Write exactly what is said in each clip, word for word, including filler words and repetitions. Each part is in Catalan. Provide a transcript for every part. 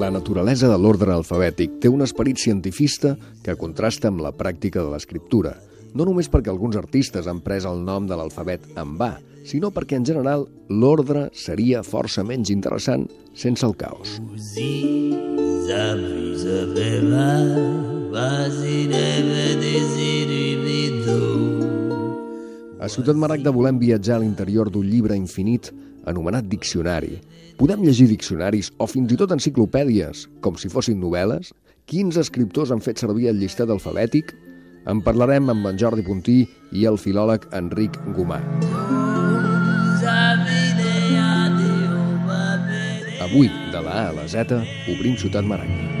La naturalesa de l'ordre alfabètic té un esperit cientifista que contrasta amb la pràctica de l'escriptura, no només perquè alguns artistes han pres el nom de l'alfabet en va, sinó perquè, en general, l'ordre seria força menys interessant sense el caos. A Ciutat Maragda volem viatjar a l'interior d'un llibre infinit anomenat diccionari. Podem llegir diccionaris o fins i tot enciclopèdies, com si fossin novel·les. Quins escriptors han fet servir el llistat alfabètic? En parlarem amb en Jordi Puntí i el filòleg Enric Gomà. Avui, de la A a la Z, obrim Ciutat Maragda.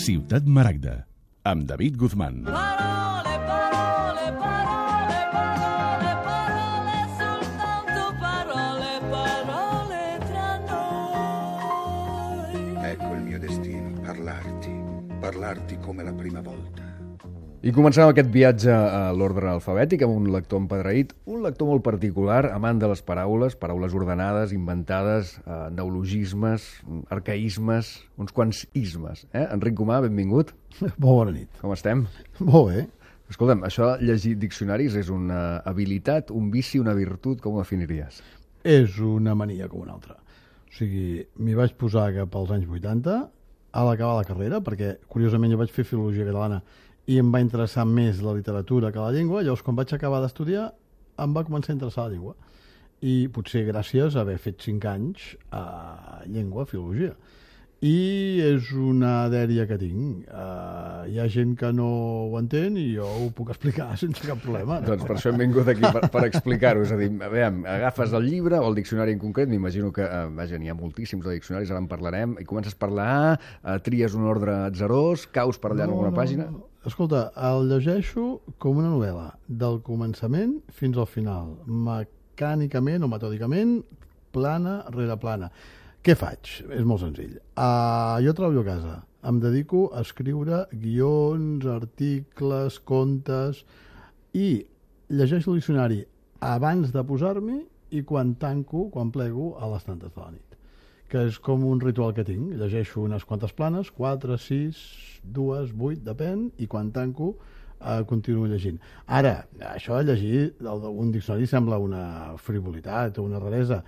Ciutat Maragda, amb David Guzmán. Parole, parole, parole, parole, parole, soltanto parole, parole tra noi. Ecco il mio destino, parlarti, parlarti come la prima volta. I comencem aquest viatge a l'ordre alfabètic amb un lector empadreït, un lector molt particular, amant de les paraules, paraules ordenades, inventades, eh, neologismes, arcaïsmes, uns quants ismes. Eh? Enric Gomà, benvingut. Molt bona nit. Com estem? Molt bé. Escolta'm, això de llegir diccionaris és una habilitat, un vici, una virtut, com ho definiries? És una mania com una altra. O sigui, m'hi vaig posar cap als anys vuitanta, a l'acabar la carrera, perquè, curiosament, jo vaig fer filologia catalana i em va interessar més la literatura que la llengua. Llavors, quan vaig acabar d'estudiar, em va començar a interessar la llengua. I potser gràcies a haver fet cinc anys a llengua, filologia. I és una dèria que tinc. Uh, hi ha gent que no ho entén i jo ho puc explicar sense cap problema. No? Doncs per això hem vingut aquí, per, per explicar-ho. És a dir, a veure, agafes el llibre o el diccionari en concret, m'imagino que, uh, vaja, n'hi ha moltíssims de diccionaris, ara en parlarem, i comences a parlar, uh, tries un ordre atzerós, caus per allà no, en alguna no, pàgina... No. Escolta, el llegeixo com una novel·la, del començament fins al final, mecànicament o metòdicament, plana rere plana. Què faig? És molt senzill. Uh, jo treballo a casa, em dedico a escriure guions, articles, contes, i llegeixo el diccionari abans de posar-m'hi i quan tanco, quan plego, a les tantes de la nit. Que és com un ritual que tinc. Llegeixo unes quantes planes, quatre, sis, dues, vuit, depèn, i quan tanco eh, continuo llegint. Ara, això de llegir un diccionari sembla una frivolitat o una raresa.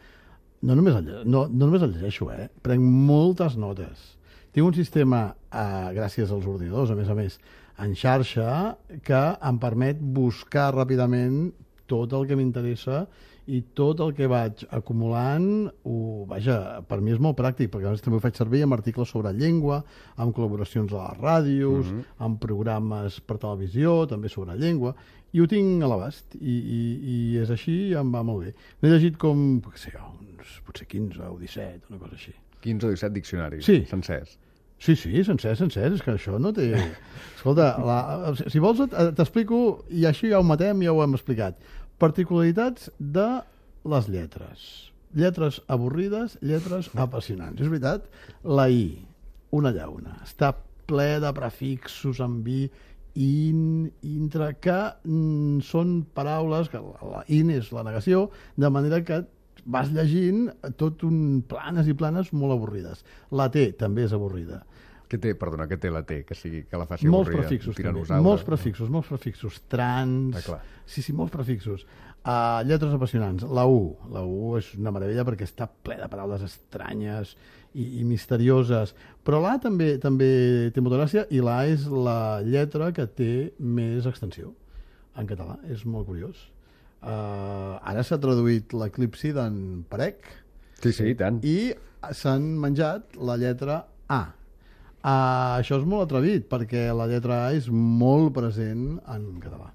No només el, no, no només el llegeixo, eh? Prenc moltes notes. Tinc un sistema, eh, gràcies als ordinadors, a més a més, en xarxa, que em permet buscar ràpidament tot el que m'interessa i tot el que vaig acumulant, ho, vaja, per mi és molt pràctic, perquè a més també ho faig servir amb articles sobre llengua, amb col·laboracions a les ràdios, mm-hmm. amb programes per televisió, també sobre llengua, i ho tinc a l'abast, i, i, i és així i em va molt bé. N'he llegit com, què sé jo, uns, potser quinze o disset, una cosa així. quinze o disset diccionaris, sí. Sencers. Sí, sí, sencer, sencer, és que això no té... Escolta, la, si vols t'explico, i així ja ho matem, ja ho hem explicat. Particularitats de les lletres. Lletres avorrides, lletres apassionants. És veritat? La I, una llauna. Està ple de prefixos amb i, in, intra, que mm, són paraules, que la, la in és la negació, de manera que vas llegint tot un planes i planes molt avorrides. La T també és avorrida. Què té, perdona, què té la T, que, sigui, que la faci molts avorrida? Prefixos, també. Tiranosaure. Molts prefixos, molts prefixos. Trans... Ah, sí, sí, molts prefixos. Uh, lletres apassionants. La U. La U és una meravella perquè està ple de paraules estranyes i, i misterioses. Però l'A també també té molta gràcia, i l'A és la lletra que té més extensió en català. És molt curiós. Uh, ara s'ha traduït l'eclipsi d'en Perec. Sí, sí, i tant. I s'han menjat la lletra A. Uh, això és molt atrevit, perquè la lletra A és molt present en català.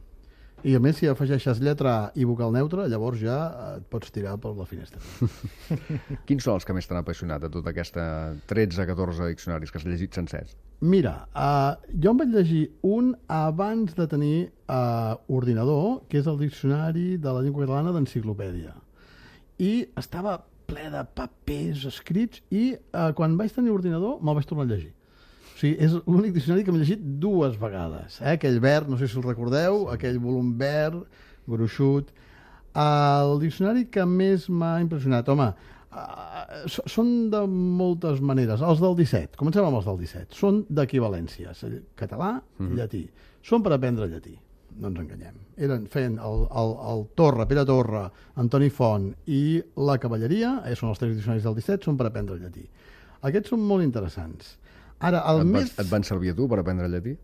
I a més, si afegeixes lletra A i vocal neutre, llavors ja et pots tirar per la finestra. Quins són els que més t'han apassionat de tota aquesta tretze catorze diccionaris que has llegit sencers? Mira, uh, jo em vaig llegir un abans de tenir uh, ordinador, que és el Diccionari de la Llengua Catalana d'Enciclopèdia. I estava ple de papers escrits i eh, quan vaig tenir ordinador me'l vaig tornar a llegir. O sigui, és l'únic diccionari que m'he llegit dues vegades. Eh? Aquell verd, no sé si el recordeu, sí. Aquell volum verd, gruixut. El diccionari que més m'ha impressionat, home, uh, són de moltes maneres. Els del disset, comencem amb els del disset, són d'equivalències. Català, mm-hmm. llatí. Són per aprendre llatí. No ens enganyem. Eren fent el, el, el Torra, Pere Torra, Antoni Font i la Cavalleria, eh, són els tres diccionaris del disset, són per aprendre el llatí. Aquests són molt interessants. Ara, el et, més... va, et van servir a tu per aprendre llatí?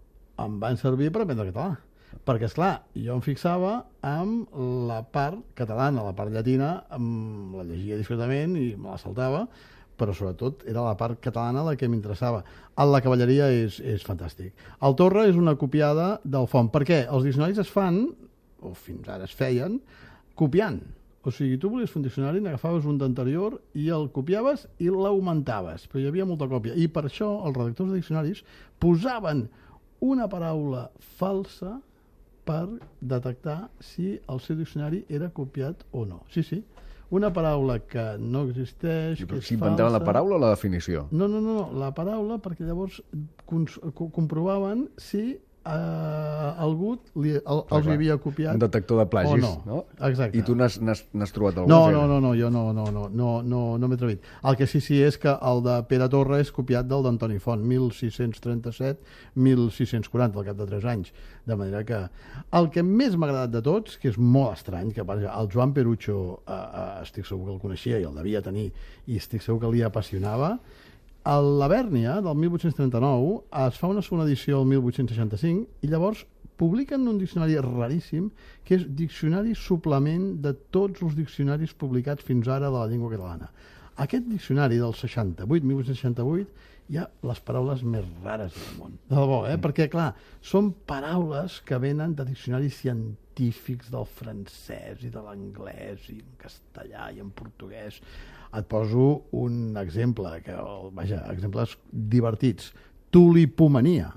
Em van servir per aprendre català. Perquè, esclar, jo em fixava amb la part catalana, la part llatina, em la llegia discretament i me la saltava, però sobretot era la part catalana la que m'interessava. La Cavalleria és, és fantàstic. El Torra és una copiada del Font. Per què? Els diccionaris es fan, o fins ara es feien, copiant. O sigui, tu volies fer un diccionari, n'agafaves un d'anterior i el copiaves i l'augmentaves, però hi havia molta còpia. I per això els redactors de diccionaris posaven una paraula falsa per detectar si el seu diccionari era copiat o no. Sí, sí. Una paraula que no existeix, que és falsa... S'inventaven la paraula o la definició? No, no, no, la paraula, perquè llavors comprovaven si eh, algú li, el, els havia copiat un detector de plagis, o no. no? Exacte. I tu n'has trobat algun? No, no, no, no, jo no, no, no, no, no, no m'he atrevit. El que sí, sí és que el de Pere Torra és copiat del d'Antoni Font, mil sis-cents trenta-set a mil sis-cents quaranta, al cap de tres anys. De manera que el que més m'ha agradat de tots, que és molt estrany, que el Joan Perucho eh, eh, estic segur que el coneixia i el devia tenir, i estic segur que li apassionava, a la Bèrnia, del mil vuit-cents trenta-nou, es fa una segona edició el mil vuit-cents seixanta-cinc i llavors publiquen un diccionari raríssim que és Diccionari Suplement de tots els diccionaris publicats fins ara de la llengua catalana. Aquest diccionari del seixanta-vuit, mil vuit-cents seixanta-vuit, hi ha les paraules més rares del món. De debò, eh? Mm. Perquè, clar, són paraules que venen de diccionaris científics del francès i de l'anglès i en castellà i en portuguès. Et poso un exemple, que, vaja, exemples divertits. Tulipomania.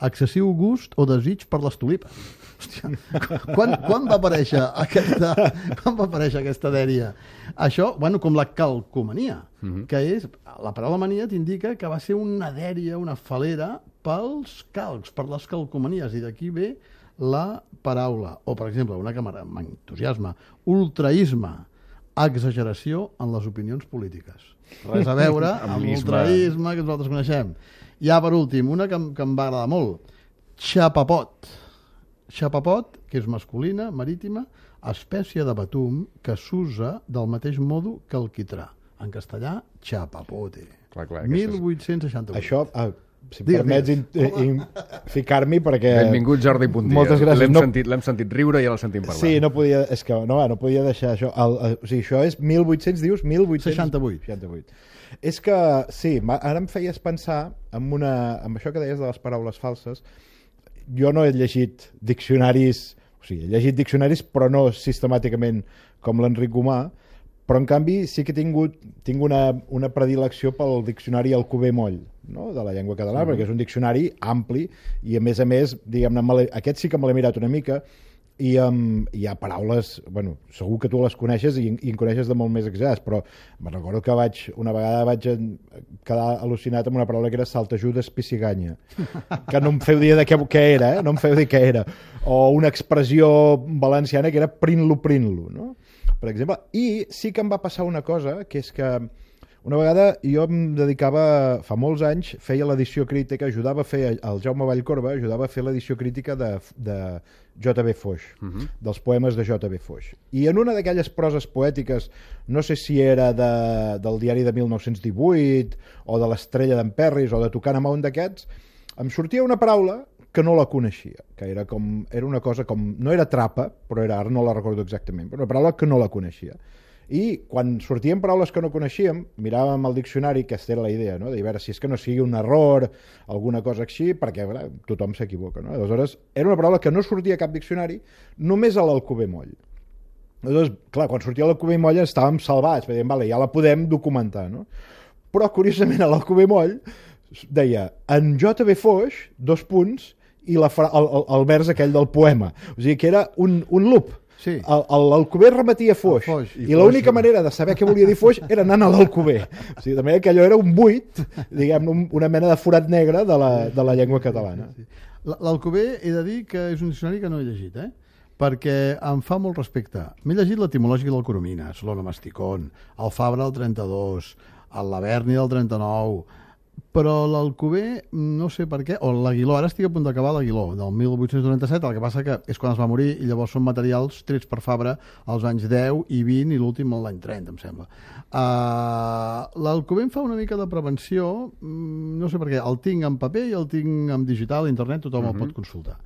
Excessiu gust o desig per les tulipes. Hòstia, quan, quan va aparèixer aquesta, quan va aparèixer aquesta dèria? Això, bueno, com la calcomania, mm-hmm. que és, la paraula mania t'indica que va ser una dèria, una falera pels calcs, per les calcomanies, i d'aquí ve la paraula. O, per exemple, una que m'entusiasma, ultraisme, exageració en les opinions polítiques. Res a veure amb l'ultraisme que nosaltres coneixem. Ja, per últim, una que, que em va agradar molt. Xapapot. Xapapot, que és masculina, marítima, espècie de batum que s'usa del mateix modo que el quitrà. En castellà, xapapote. Clar, clar, mil vuit-cents seixanta-vuit. Això, ah, si em permets in, in, ficar-m'hi, perquè... Benvingut, Jordi Puntia. Moltes gràcies. L'hem no... sentit, sentit riure i ja l'hem sentit parlar. Sí, no podia, és que no, no podia deixar això. El, el, o sigui, això és mil vuit-cents, dius? mil vuit-cents seixanta-vuit. seixanta-vuit. És que, sí, ara em feies pensar en, una, en això que deies de les paraules falses. Jo no he llegit diccionaris, o sigui, he llegit diccionaris, però no sistemàticament com l'Enric Gomà, però en canvi sí que he tingut tinc una, una predilecció pel diccionari Alcover Moll, no? De la llengua catalana, mm-hmm. perquè és un diccionari ampli i a més a més, diguem-ne, aquest sí que me l'he mirat una mica i um, hi ha paraules, bueno, segur que tu les coneixes i, i en coneixes de molt més exagerades, però me recordo que vaig, una vegada vaig quedar al·lucinat amb una paraula que era saltajudes pissiganya, que no em feu dir de què, què era, eh? No em feu dir què era, o una expressió valenciana que era prin-lo, prin-lo, no? Per exemple, i sí que em va passar una cosa, que és que una vegada jo em dedicava, fa molts anys, feia l'edició crítica, ajudava a fer, el Jaume Vallcorba ajudava a fer l'edició crítica de, de J B Foix, uh-huh. dels poemes de J B Foix. I en una d'aquelles proses poètiques, no sé si era de, del diari de mil nou-cents divuit, o de l'Estrella d'en Perris, o de Tocant amb un d'aquests, em sortia una paraula que no la coneixia, que era com era una cosa com, no era trapa, però era, ara no la recordo exactament, però una paraula que no la coneixia. I quan sortien paraules que no coneixíem, miràvem el diccionari, que aquesta era la idea, no? De veure si és que no sigui un error, alguna cosa així, perquè veure, tothom s'equivoca, no? Aleshores, era una paraula que no sortia a cap diccionari, només a l'Alcover Moll. Aleshores, clar, quan sortia l'Alcover Moll estàvem salvats, dèiem, vale, ja la podem documentar, no? Però, curiosament, a l'Alcover Moll deia, en J B Foix, dos punts, i la fra... el, el, el vers aquell del poema. O sigui que era un, un loop. Sí. L'Alcover remetia Foix, Foix, i, i l'única manera de saber què volia dir Foix era anant a l'Alcover. O sigui, de manera que allò era un buit, diguem, un, una mena de forat negre de la, de la llengua catalana. L'Alcover he de dir que és un diccionari que no he llegit, eh? Perquè em fa molt respecte. M'he llegit l'etimològic del Coromines, l'Onomasticon, el Fabra del trenta-dos, el Laverni del trenta-nou, però l'Alcover, no sé per què, o l'Aguiló, ara estic a punt d'acabar l'Aguiló, del mil vuit-cents noranta-set, el que passa que és quan es va morir i llavors són materials trets per Fabra als anys deu i vint i l'últim l'any trenta, em sembla. Uh, L'Alcover em fa una mica de prevenció, no sé per què, el tinc en paper i el tinc en digital, a internet, tothom mm-hmm. el pot consultar.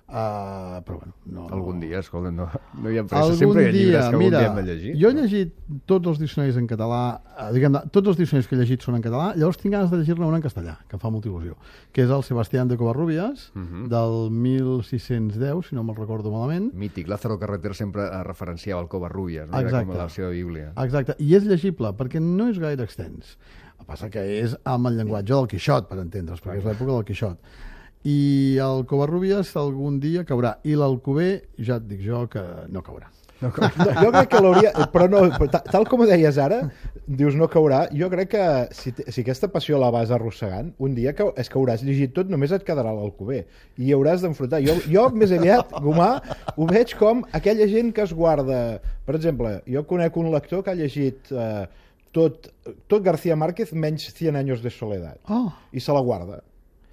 Uh, però bueno, no, algun dia, escolta, no, no hi ha pressa, algun sempre hi ha llibres dia, que algun mira, dia hem de llegir. Jo he llegit tots els diccionaris en català, eh, diguem, tots els diccionaris que he llegit són en català, llavors tinc ganes de llegir-ne un en castellà, que em fa molta il·lusió, que és el Sebastián de Covarrubias, uh -huh. del mil sis-cents deu, si no me'l recordo malament. Mític, Lázaro Carreter sempre referenciava el Covarrubias, no? Exacte. Era com la seva bíblia. Exacte, i és llegible, perquè no és gaire extens. El que passa que és amb el llenguatge del Quixot, per entendre's, perquè és l'època del Quixot. I el Covarrubias algun dia caurà, i l'Alcover ja et dic jo que no caurà. No, no, jo crec que l'hauria, però no, però tal com ho deies ara, dius no caurà, jo crec que si, si aquesta passió la vas arrossegant, un dia que, és que hauràs llegit tot, només et quedarà l'Alcover i hi hauràs d'enfrontar. Jo, jo més aviat, Gomà, ho veig com aquella gent que es guarda, per exemple, jo conec un lector que ha llegit eh, tot, tot García Márquez menys cien años de soledad, oh. i se la guarda.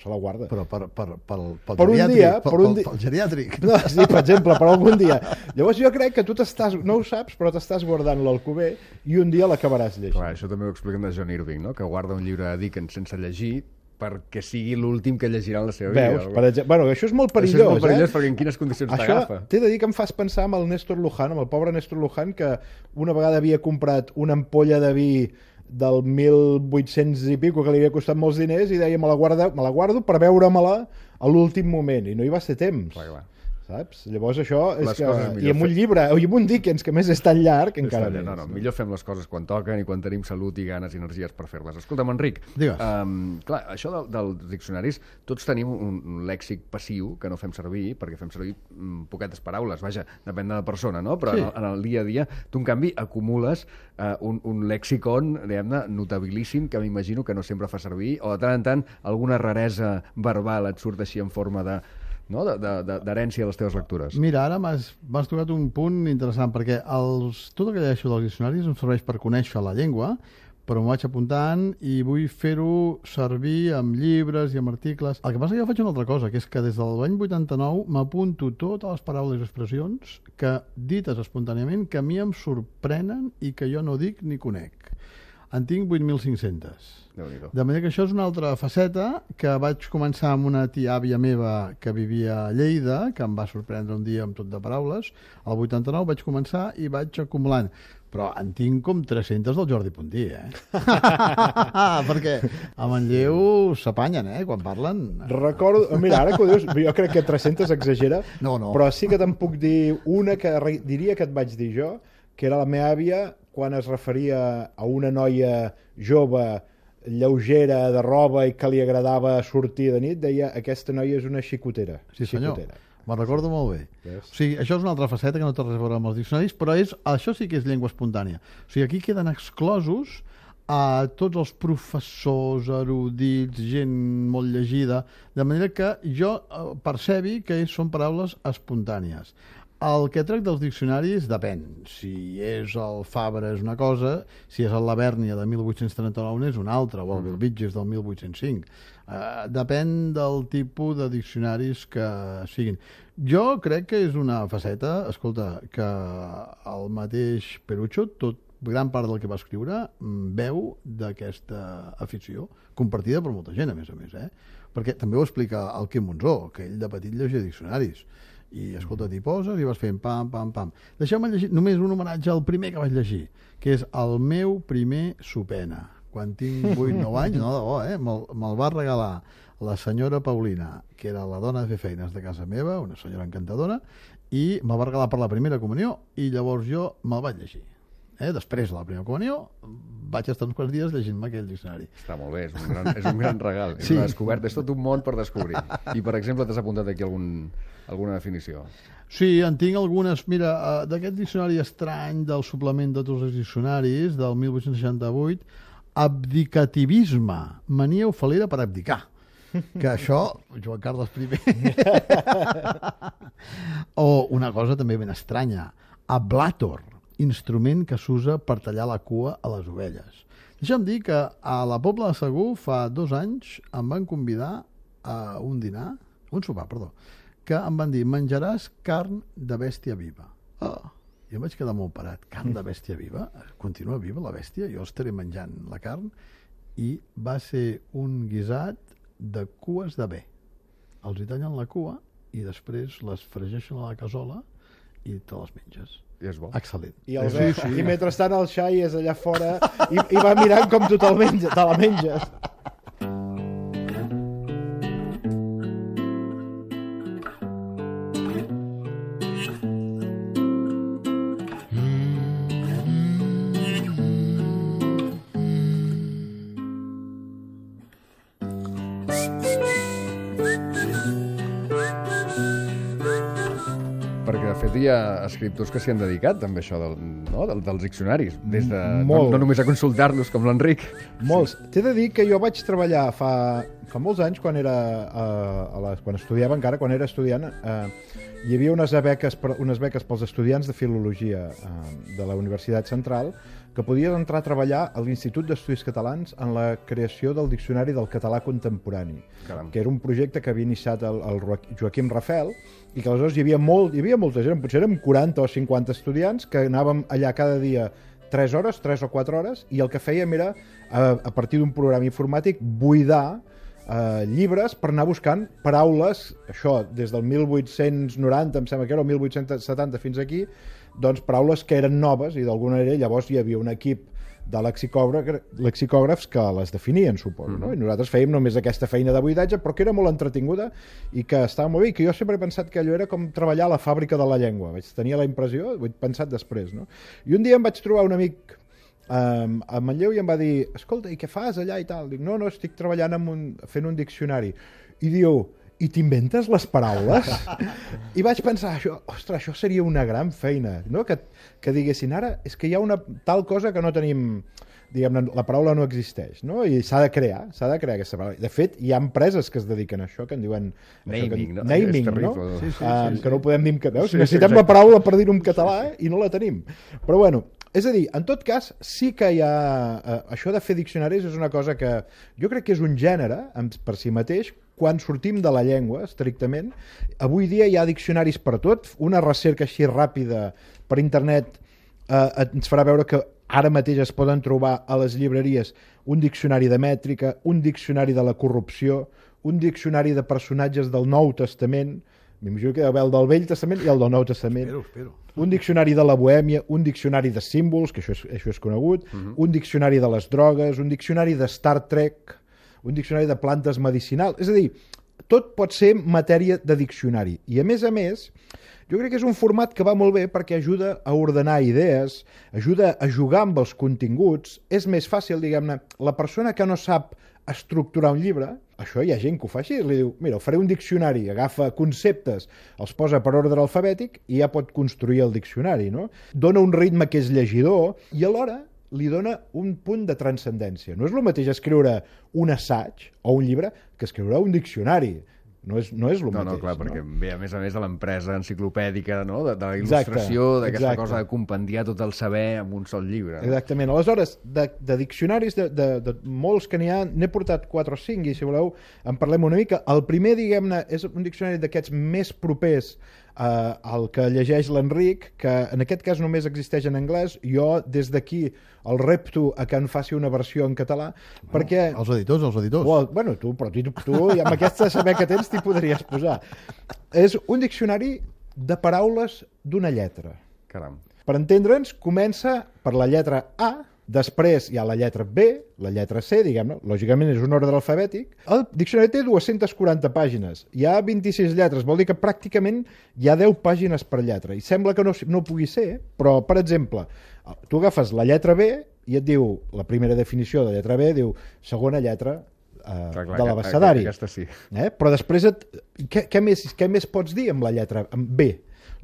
Se la guarda. Però per, per, per, pel per un geriàtric, dia, per, per un pel, dia... pel geriàtric. No, sí, per exemple, per algun dia. Llavors jo crec que tu t'estàs, no ho saps, però t'estàs guardant l'Alcover i un dia l'acabaràs llegint. Clar, això també ho expliquen de John Irving, no? Que guarda un llibre de Dickens sense llegir perquè sigui l'últim que llegirà en la seva vida. Veus? Per exemple, bueno, això és molt perillós, això és molt perillós, eh? perquè en quines condicions això t'agafa? T'he de dir que em fas pensar amb el Néstor Luján, amb el pobre Néstor Luján, que una vegada havia comprat una ampolla de vi del mil vuit-cents i pico que li havia costat molts diners i deia me la, guarda, me la guardo per veure-me-la a l'últim moment i no hi va ser temps. Clar, clar. Saps? Llavors això és les que... I amb un llibre, i amb un Dickens que més és tan llarg encara més. No, no, millor fem les coses quan toquen i quan tenim salut i ganes i energies per fer-les. Escolta'm, Enric, um, clar, això del, dels diccionaris, tots tenim un, un lèxic passiu que no fem servir, perquè fem servir um, poquetes paraules, vaja, depèn de la persona, no? Però sí. en, el, en el dia a dia, tu, en canvi, acumules uh, un, un lèxicon, diguem-ne, notabilíssim, que m'imagino que no sempre fa servir, o de tant en tant alguna raresa verbal et surt així en forma de... no? d'herència de, de, de les teves lectures. Mira, ara m'has tocat un punt interessant, perquè els, tot el que llegeixo dels diccionaris em serveix per conèixer la llengua, però m'ho vaig apuntant i vull fer-ho servir amb llibres i amb articles. El que passa és que jo faig una altra cosa, que és que des de l'any vuitanta-nou m'apunto totes les paraules i expressions que, dites espontàniament, que a mi em sorprenen i que jo no dic ni conec. En tinc vuit mil cinc-cents. De manera que això és una altra faceta que vaig començar amb una tia àvia meva que vivia a Lleida, que em va sorprendre un dia amb tot de paraules. Al vuitanta-nou vaig començar i vaig acumulant. Però en tinc com tres-centes del Jordi Puntí, eh? Perquè a Manlleu s'apanyen, eh? Quan parlen... Recordo... Mira, ara que ho dius, jo crec que tres-centes exagera, no, no. Però sí que te'n puc dir una que diria que et vaig dir jo, que era la meva àvia quan es referia a una noia jove, lleugera, de roba i que li agradava sortir de nit, deia aquesta noia és una xicotera. Sí, senyor. Xicotera. Me'n recordo molt bé. Yes. O sigui, això és una altra faceta que no té res a veure amb els diccionaris, però és, això sí que és llengua espontània. O sigui, aquí queden exclosos a tots els professors, erudits, gent molt llegida, de manera que jo percebi que són paraules espontànies. El que tracta dels diccionaris depèn. Si és el Fabra és una cosa, si és el Lavèrnia de mil vuit-cents trenta-nou és una altra, o el Bellvitges del mil vuit-cents cinc. Uh, depèn del tipus de diccionaris que siguin. Jo crec que és una faceta, escolta, que el mateix Perucho, tot gran part del que va escriure, veu d'aquesta afició, compartida per molta gent, a més a més, eh? Perquè també ho explica el Quim Monzó, que ell de petit llegia diccionaris. I, escolta, t'hi poses i vas fent pam, pam, pam. Deixeu-me llegir només un homenatge al primer que vaig llegir, que és el meu primer Supena. Quan tinc vuit nou anys, no, de bo, eh? Me'l me va regalar la senyora Paulina, que era la dona de fer feines de casa meva, una senyora encantadora, i me'l va regalar per la primera comunió, i llavors jo me'l vaig llegir. Eh? Després de la primera comunió vaig estar uns quants dies llegint-me aquell diccionari. Està molt bé, és un gran, és un gran regal. És Sí. una descoberta, és tot un món per descobrir. I, per exemple, t'has apuntat aquí algun, alguna definició. Sí, en tinc algunes. Mira, eh, d'aquest diccionari estrany del suplement de tots els diccionaris del mil vuit-cents seixanta-vuit, abdicativisme, mania ofalera per abdicar. Que això, Joan Carles primer. O una cosa també ben estranya, ablator, instrument que s'usa per tallar la cua a les ovelles. Deixa'm dir que a la Pobla de Segur fa dos anys em van convidar a un dinar, un sopar, perdó, que em van dir, menjaràs carn de bèstia viva. Oh, jo em vaig quedar molt parat. Carn de bèstia viva? Continua viva la bèstia? Jo estaré menjant la carn. I va ser un guisat de cues de bé. Els hi tallen la cua i després les fregeixen a la cassola i te les menges. I és bo. Excel·lent. I, el sí, sí. I mentrestant el xai és allà fora i, i va mirant com tu te'l menges, te la menges. Perquè, de fet, hi ha escriptors que s'hi han dedicat també a això del, no? del, dels diccionaris, des de, no, Molt. no només a consultar-los, com l'Enric. Molts. T'he de dir que jo vaig treballar fa, fa molts anys, quan era a, a la, quan estudiava encara, quan era estudiant, eh, hi havia unes beques, per, unes beques pels estudiants de filologia eh, de la Universitat Central que podies entrar a treballar a l'Institut d'Estudis Catalans en la creació del Diccionari del Català Contemporani, Caram. que era un projecte que havia iniciat el, el Joaquim Rafel i que aleshores hi havia, molt, hi havia molta gent, potser érem quaranta o cinquanta estudiants que anàvem allà cada dia tres hores, tres o quatre hores, i el que fèiem era, a, a partir d'un programa informàtic, buidar eh, llibres per anar buscant paraules, això, des del mil vuit-cents noranta, em sembla que era, o mil vuit-cents setanta fins aquí, doncs paraules que eren noves, i d'alguna manera llavors hi havia un equip de lexicògrafs, lexicògrafs que les definien, suposo, mm-hmm. no? I nosaltres fèiem només aquesta feina de buidatge, però que era molt entretinguda i que estava molt bé, i que jo sempre he pensat que allò era com treballar a la fàbrica de la llengua. Vaig tenir la impressió, ho he pensat després, no? I un dia em vaig trobar un amic um, a Manlleu i em va dir, escolta, i què fas allà i tal? Dic, no, no, estic treballant amb un, fent un diccionari. I diu, i t'inventes les paraules? I vaig pensar, això, ostres, això seria una gran feina, no? Que, que diguessin, ara és que hi ha una tal cosa que no tenim, diguem-ne, la paraula no existeix, no? I s'ha de crear, s'ha de crear aquesta paraula. De fet, hi ha empreses que es dediquen a això, que en diuen... Naming, que, no? Naming, És terrible. no? Sí, sí, sí, um, sí. que no ho podem dir en català. Sí, Necessitem sí, la paraula per dir-ho en català eh? I no la tenim. Però bueno, és a dir, en tot cas, sí que hi ha... Eh, això de fer diccionaris és una cosa que jo crec que és un gènere, per si mateix, quan sortim de la llengua, estrictament. Avui dia hi ha diccionaris per tot. Una recerca així ràpida per internet eh, ens farà veure que ara mateix es poden trobar a les llibreries un diccionari de mètrica, un diccionari de la corrupció, un diccionari de personatges del Nou Testament, m'imagino que hi ha el del Vell Testament i el del Nou Testament, Espero, espero. un diccionari de la bohèmia, un diccionari de símbols, que això és, això és conegut, uh-huh. un diccionari de les drogues, un diccionari de Star Trek, un diccionari de plantes medicinals. És a dir, tot pot ser matèria de diccionari. I a més a més, jo crec que és un format que va molt bé perquè ajuda a ordenar idees, ajuda a jugar amb els continguts. És més fàcil, diguem-ne, la persona que no sap estructurar un llibre, això hi ha gent que ho fa així, li diu, mira, faré un diccionari, agafa conceptes, els posa per ordre alfabètic i ja pot construir el diccionari, no? Dona un ritme que és llegidor i alhora li dona un punt de transcendència. No és el mateix escriure un assaig o un llibre que escriure un diccionari. No és, no és el No, mateix. no, clar, perquè no? ve, a més a més, de l'empresa enciclopèdica, no? de, de la Exacte, il·lustració, d'aquesta exacte. cosa de compendiar tot el saber amb un sol llibre. No? Exactament. Aleshores, de, de diccionaris, de, de, de molts que n'hi ha, n'he portat quatre o cinc, i si voleu en parlem una mica. El primer, diguem-ne, és un diccionari d'aquests més propers eh, al que llegeix l'Enric, que en aquest cas només existeix en anglès. Jo, des d'aquí, el repto a que en faci una versió en català, bueno, perquè... Els editors, els editors. Oh, bueno, tu, però tu, tu i amb aquesta saber que tens t'hi podries posar. És un diccionari de paraules d'una lletra. Caram. Per entendre'ns, comença per la lletra A, després hi ha la lletra B, la lletra C, diguem-ne, lògicament és un ordre alfabètic. El diccionari té dues-centes quaranta pàgines, hi ha vint-i-sis lletres, vol dir que pràcticament hi ha deu pàgines per lletra, i sembla que no, no pugui ser, però, per exemple, Tu agafes la lletra B i et diu, la primera definició de lletra B, diu segona lletra eh, Clar, clar, de aquest- l'abecedari. aquesta sí. Eh? Però després, et, què, què, més, què més pots dir amb la lletra amb B?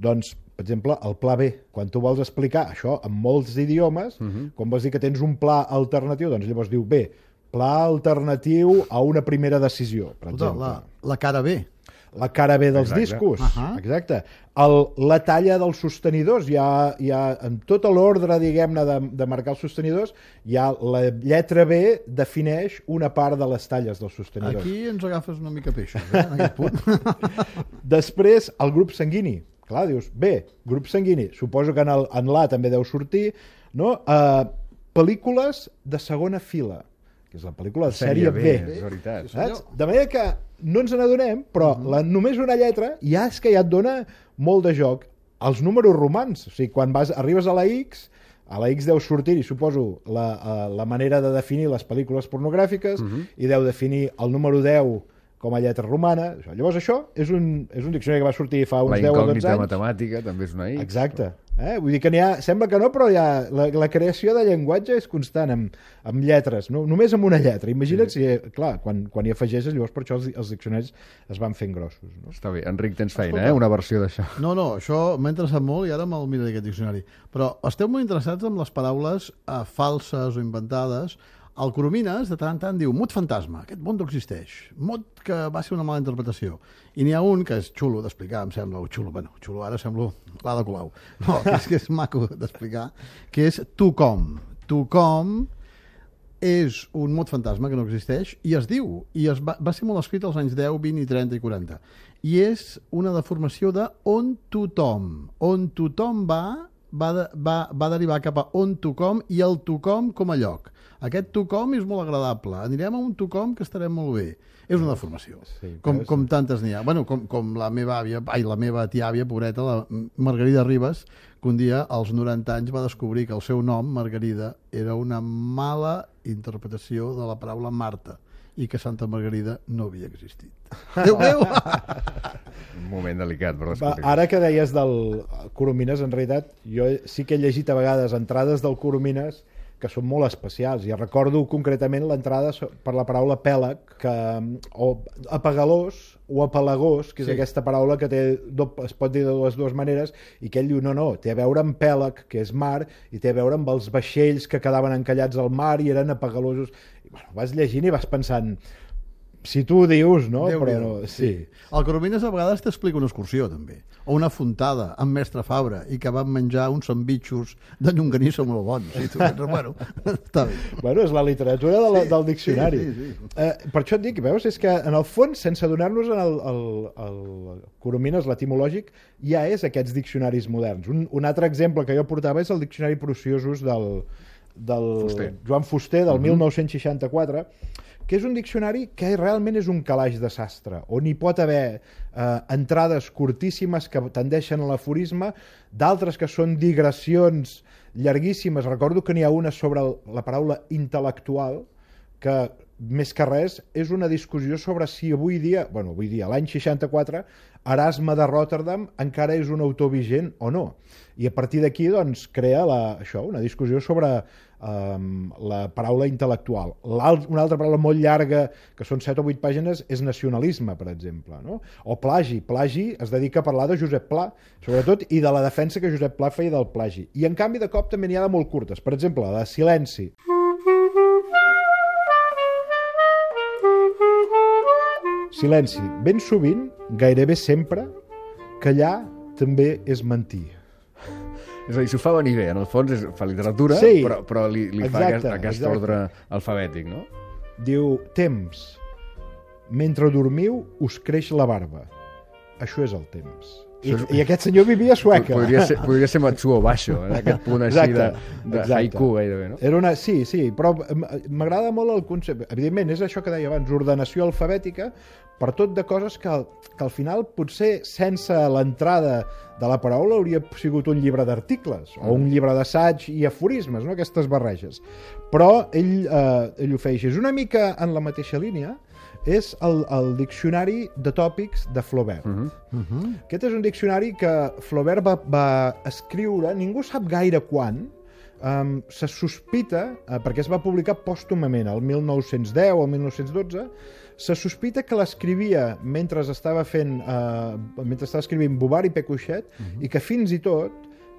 Doncs, per exemple, el pla B. Quan tu vols explicar això en molts idiomes, uh -huh. quan vols dir que tens un pla alternatiu, doncs llavors diu B, pla alternatiu a una primera decisió, per Escolta, exemple. la, la cara B. La cara B dels Exacte. discos, Ahà. exacte. El, la talla dels sostenidors, hi ha, hi ha en tot l'ordre, diguem-ne, de, de marcar els sostenidors, hi ha la lletra B defineix una part de les talles dels sostenidors. Aquí ens agafes una mica peixos, eh, en aquest punt. Després, el grup sanguini. Clar, dius, bé, grup sanguini. Suposo que en, el, en l'A també deu sortir, no? Uh, pel·lícules de segona fila, que és la pel·lícula de sèrie, B, B. és veritat. Saps? De manera que no ens n'adonem, però uh -huh. la, només una lletra ja és que ja et dona molt de joc. Els números romans, o sigui, quan vas, arribes a la X, a la X deu sortir, i suposo, la, uh, la manera de definir les pel·lícules pornogràfiques, uh -huh. i deu definir el número deu com a lletra romana. Llavors això és un, és un diccionari que va sortir fa uns La deu o dotze incògnita anys. matemàtica també és una X. Exacte. Eh? Vull dir que n'hi ha, sembla que no, però hi ha, la, la creació de llenguatge és constant amb, amb lletres, no? Només amb una lletra. Imagina't si, clar, quan, quan hi afegeixes, llavors per això els, els diccionaris es van fent grossos. No? Està bé. Enric, tens feina, Escolta. eh? Una versió d'això. No, no, això m'ha interessat molt i ara me'l miraré aquest diccionari. Però esteu molt interessats en les paraules eh, falses o inventades. El Coromines, de tant en tant, diu mot fantasma, aquest mot no existeix, mot que va ser una mala interpretació. I n'hi ha un que és xulo d'explicar, em sembla, o xulo, bueno, xulo ara semblo l'Ada Colau. No, que és que és maco d'explicar, que és tucom. Tucom és un mot fantasma que no existeix i es diu, i es va, va ser molt escrit als anys deu, vint, trenta i quaranta. I és una deformació de on tothom. On tothom va, va, de, va, va derivar cap a on tothom i el tothom com a lloc. Aquest tothom és molt agradable. Anirem a un tothom que estarem molt bé. És una deformació, Sí, com, però és- com tantes n'hi ha. Bueno, com, com la meva àvia, ai, la meva tia-àvia, pobreta, la Margarida Ribas, que un dia, als noranta anys, va descobrir que el seu nom, Margarida, era una mala interpretació de la paraula Marta i que Santa Margarida no havia existit. Déu meu! Un moment delicat per Va, descobrir. ara que deies del Coromines, en realitat, jo sí que he llegit a vegades entrades del Coromines que són molt especials. I recordo concretament l'entrada so- per la paraula pèlag, que, o apagalós o apalagós, que és Sí. aquesta paraula que té, do- es pot dir de les dues maneres, i que ell diu, no, no, té a veure amb pèlag, que és mar, i té a veure amb els vaixells que quedaven encallats al mar i eren apagalosos. I, bueno, vas llegint i vas pensant, si tu ho dius, no? Però Déu-n'hi-do. no, sí. El Coromines a vegades t'explica una excursió, també. O una fontada amb mestre Fabra i que van menjar uns sandvitxos de llonganissa molt bons. I tu penses, bueno, està bé. Bueno, és la literatura de la, del diccionari. sí, sí, sí. Eh, per això et dic, veus, és que en el fons, sense donar-nos en el, el, el Coromines, l'etimològic, ja és aquests diccionaris moderns. Un, un altre exemple que jo portava és el Diccionari Prusiosus del, del Fuster. Joan Fuster, del mil nou-cents seixanta-quatre, que és un diccionari que realment és un calaix de sastre, on hi pot haver eh, entrades curtíssimes que tendeixen a l'aforisme, d'altres que són digressions llarguíssimes. Recordo que n'hi ha una sobre el, la paraula intel·lectual, que més que res és una discussió sobre si avui dia, bueno, avui dia, l'any seixanta-quatre, Erasme de Rotterdam encara és un autor vigent o no. I a partir d'aquí, doncs, crea la, això, una discussió sobre um, la paraula intel·lectual. L'alt, una altra paraula molt llarga, que són set o vuit pàgines, és nacionalisme, per exemple, no? O plagi. Plagi es dedica a parlar de Josep Pla, sobretot, i de la defensa que Josep Pla feia del plagi. I, en canvi, de cop també n'hi ha de molt curtes. Per exemple, la de silenci. Silenci. Ben sovint, gairebé sempre, callar també és mentir. És a dir, s'ho fa venir bé, en el fons és, fa literatura, Sí. però, però li, li fa Exacte, aquest, aquest exacte. ordre alfabètic, no? Diu, temps. Mentre dormiu, us creix la barba. Això és el temps. I, Això és- I aquest senyor vivia a Sueca. Podria ser, podria ser Matsuo Basho, en aquest punt així de, de exacte. haiku gairebé, no? Era una, sí, sí, però m- m'agrada molt el concepte. Evidentment, és això que deia abans, ordenació alfabètica, per tot de coses que, que al final potser sense l'entrada de la paraula hauria sigut un llibre d'articles o un llibre d'assaig i aforismes, no? Aquestes barreges. Però ell, eh, ell ho feia així. És una mica en la mateixa línia, és el, el diccionari de tòpics de Flaubert. Uh -huh. Uh -huh. Aquest és un diccionari que Flaubert va, va escriure, ningú sap gaire quan, um, se sospita, uh, perquè es va publicar pòstumament, el mil nou-cents deu o el mil nou-cents dotze, se sospita que l'escrivia mentre estava fent, uh, mentre estava escrivint Bouvard i Pécuchet, uh-huh. i que fins i tot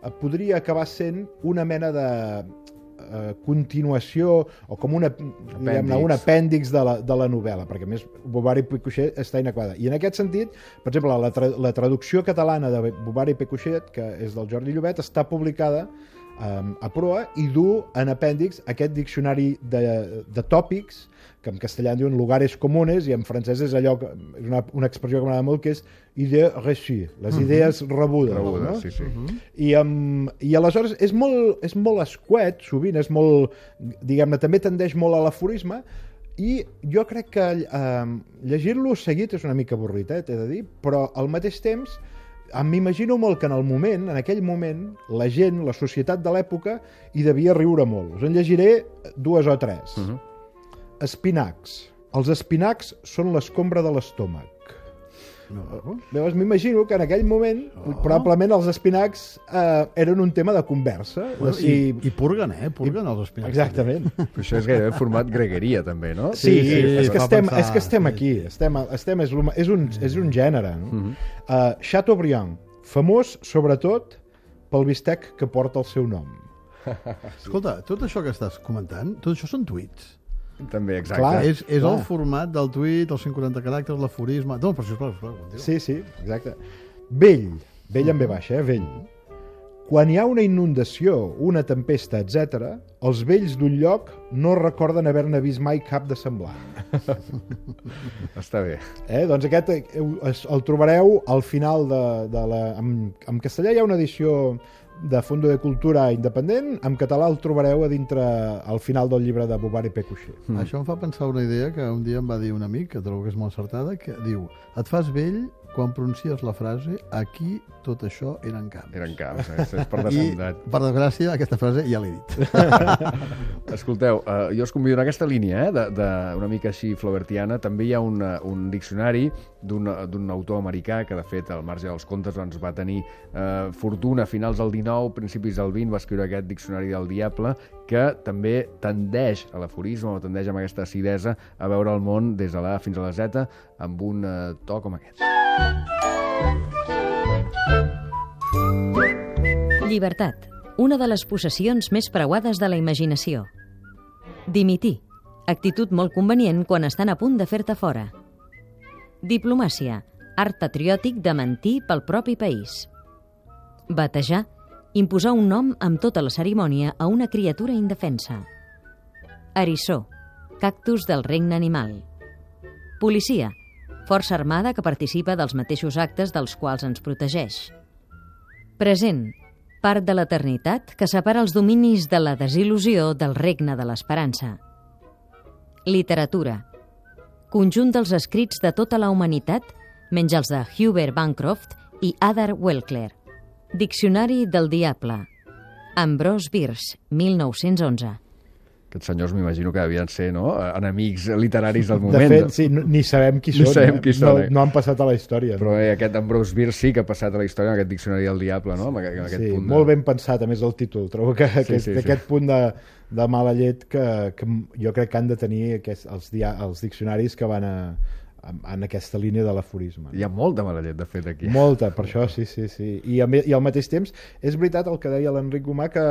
uh, podria acabar sent una mena de uh, continuació o com una, diguem-ne, un apèndix de la, de la novel·la, perquè a més Bouvard i Pécuchet està inacabada. I en aquest sentit, per exemple, la, tra la traducció catalana de Bouvard i Pécuchet, que és del Jordi Llobet, està publicada um, a proa i du en apèndix aquest diccionari de, de tòpics, que en castellà en diuen lugares comunes, i en francès és allò, que, és una, una expressió que m'agrada molt, que és idée reçue, les idees uh -huh. rebudes. Rebudes, no? sí, sí. Uh -huh. I, um, I aleshores és molt, és molt escuet, sovint és molt, diguem-ne, també tendeix molt a l'aforisme, i jo crec que um, llegir-lo seguit és una mica avorrit, eh, t'he de dir, però al mateix temps m'imagino molt que en el moment, en aquell moment, la gent, la societat de l'època, hi devia riure molt. Us en llegiré dues o tres. Uh -huh. Espinacs. Els espinacs són l'escombra de l'estómac. No. Llavors m'imagino que en aquell moment oh. probablement els espinacs eh, eren un tema de conversa. Bueno, si... i, I purguen, eh? Purguen I... els espinacs. Exactament. Però això és gairebé format gregueria, també, no? Sí, sí, sí, és, que estem, pensar, és que estem sí. aquí. Estem, estem, és, és, un, és un gènere. No? Uh-huh. uh, Chateaubriand, famós sobretot pel bistec que porta el seu nom. Escolta, tot això que estàs comentant, tot això són tuits. També, exacte. Clar, És, és clar. el format del tuit, els cent quaranta caràcters, l'aforisme... No, però sisplau, sisplau, continua. Sí, sí, exacte. Vell, vell amb ve baixa, eh? Vell. Quan hi ha una inundació, una tempesta, etcètera, els vells d'un lloc no recorden haver-ne vist mai cap de semblant. Està bé. Eh? Doncs aquest el trobareu al final de, de la... En, en castellà hi ha una edició de Fondo de Cultura independent, en català el trobareu a dintre, al final del llibre de Bouvard i Pécuchet. Mm. Això em fa pensar una idea que un dia em va dir un amic, que trobo que és molt encertada, que diu, et fas vell quan pronuncies la frase aquí tot això eren camps. Eren camps, eh? És per I, descomptat. per desgràcia, aquesta frase ja l'he dit. Escolteu, uh, jo us convido en aquesta línia, eh, de, de una mica així flaubertiana. També hi ha una, un diccionari d'un autor americà que, de fet, al marge dels contes doncs, va tenir uh, fortuna a finals del dinou, principis del vint, va escriure aquest diccionari del diable, que també tendeix a l'aforisme o tendeix amb aquesta acidesa a veure el món des de la A fins a la Z amb un uh, to com aquest. Llibertat, una de les possessions més preuades de la imaginació. Dimitir, actitud molt convenient quan estan a punt de fer-te fora. Diplomàcia, art patriòtic de mentir pel propi país. Batejar, imposar un nom amb tota la cerimònia a una criatura indefensa. Eriçó, cactus del regne animal. Policia, força armada que participa dels mateixos actes dels quals ens protegeix. Present, part de l'eternitat que separa els dominis de la desil·lusió del regne de l'esperança. Literatura, conjunt dels escrits de tota la humanitat, menys els de Hubert Bancroft i Ada Welkler. Diccionari del diable. Ambrose Bierce, mil nou-cents onze. Aquests senyors m'imagino que devien ser, no?, enemics literaris del De moment. fet, sí, no, ni sabem qui Ni són. sabem eh? qui són, no, eh? no han passat a la història. Però no? eh, aquest Ambrose Bierce sí que ha passat a la història, en aquest diccionari del diable, no?, amb aquest, amb aquest Sí, punt de... molt ben pensat, a més, el títol. Trobo que, Sí, que sí, és d'aquest sí. punt de, de mala llet que, que jo crec que han de tenir aquest, els, dia, els diccionaris que van a, en aquesta línia de l'aforisme. Hi ha molta mala llet, de fet, aquí. Molta, per això, sí, sí, sí. I, a, I al mateix temps, és veritat el que deia l'Enric Gomà, que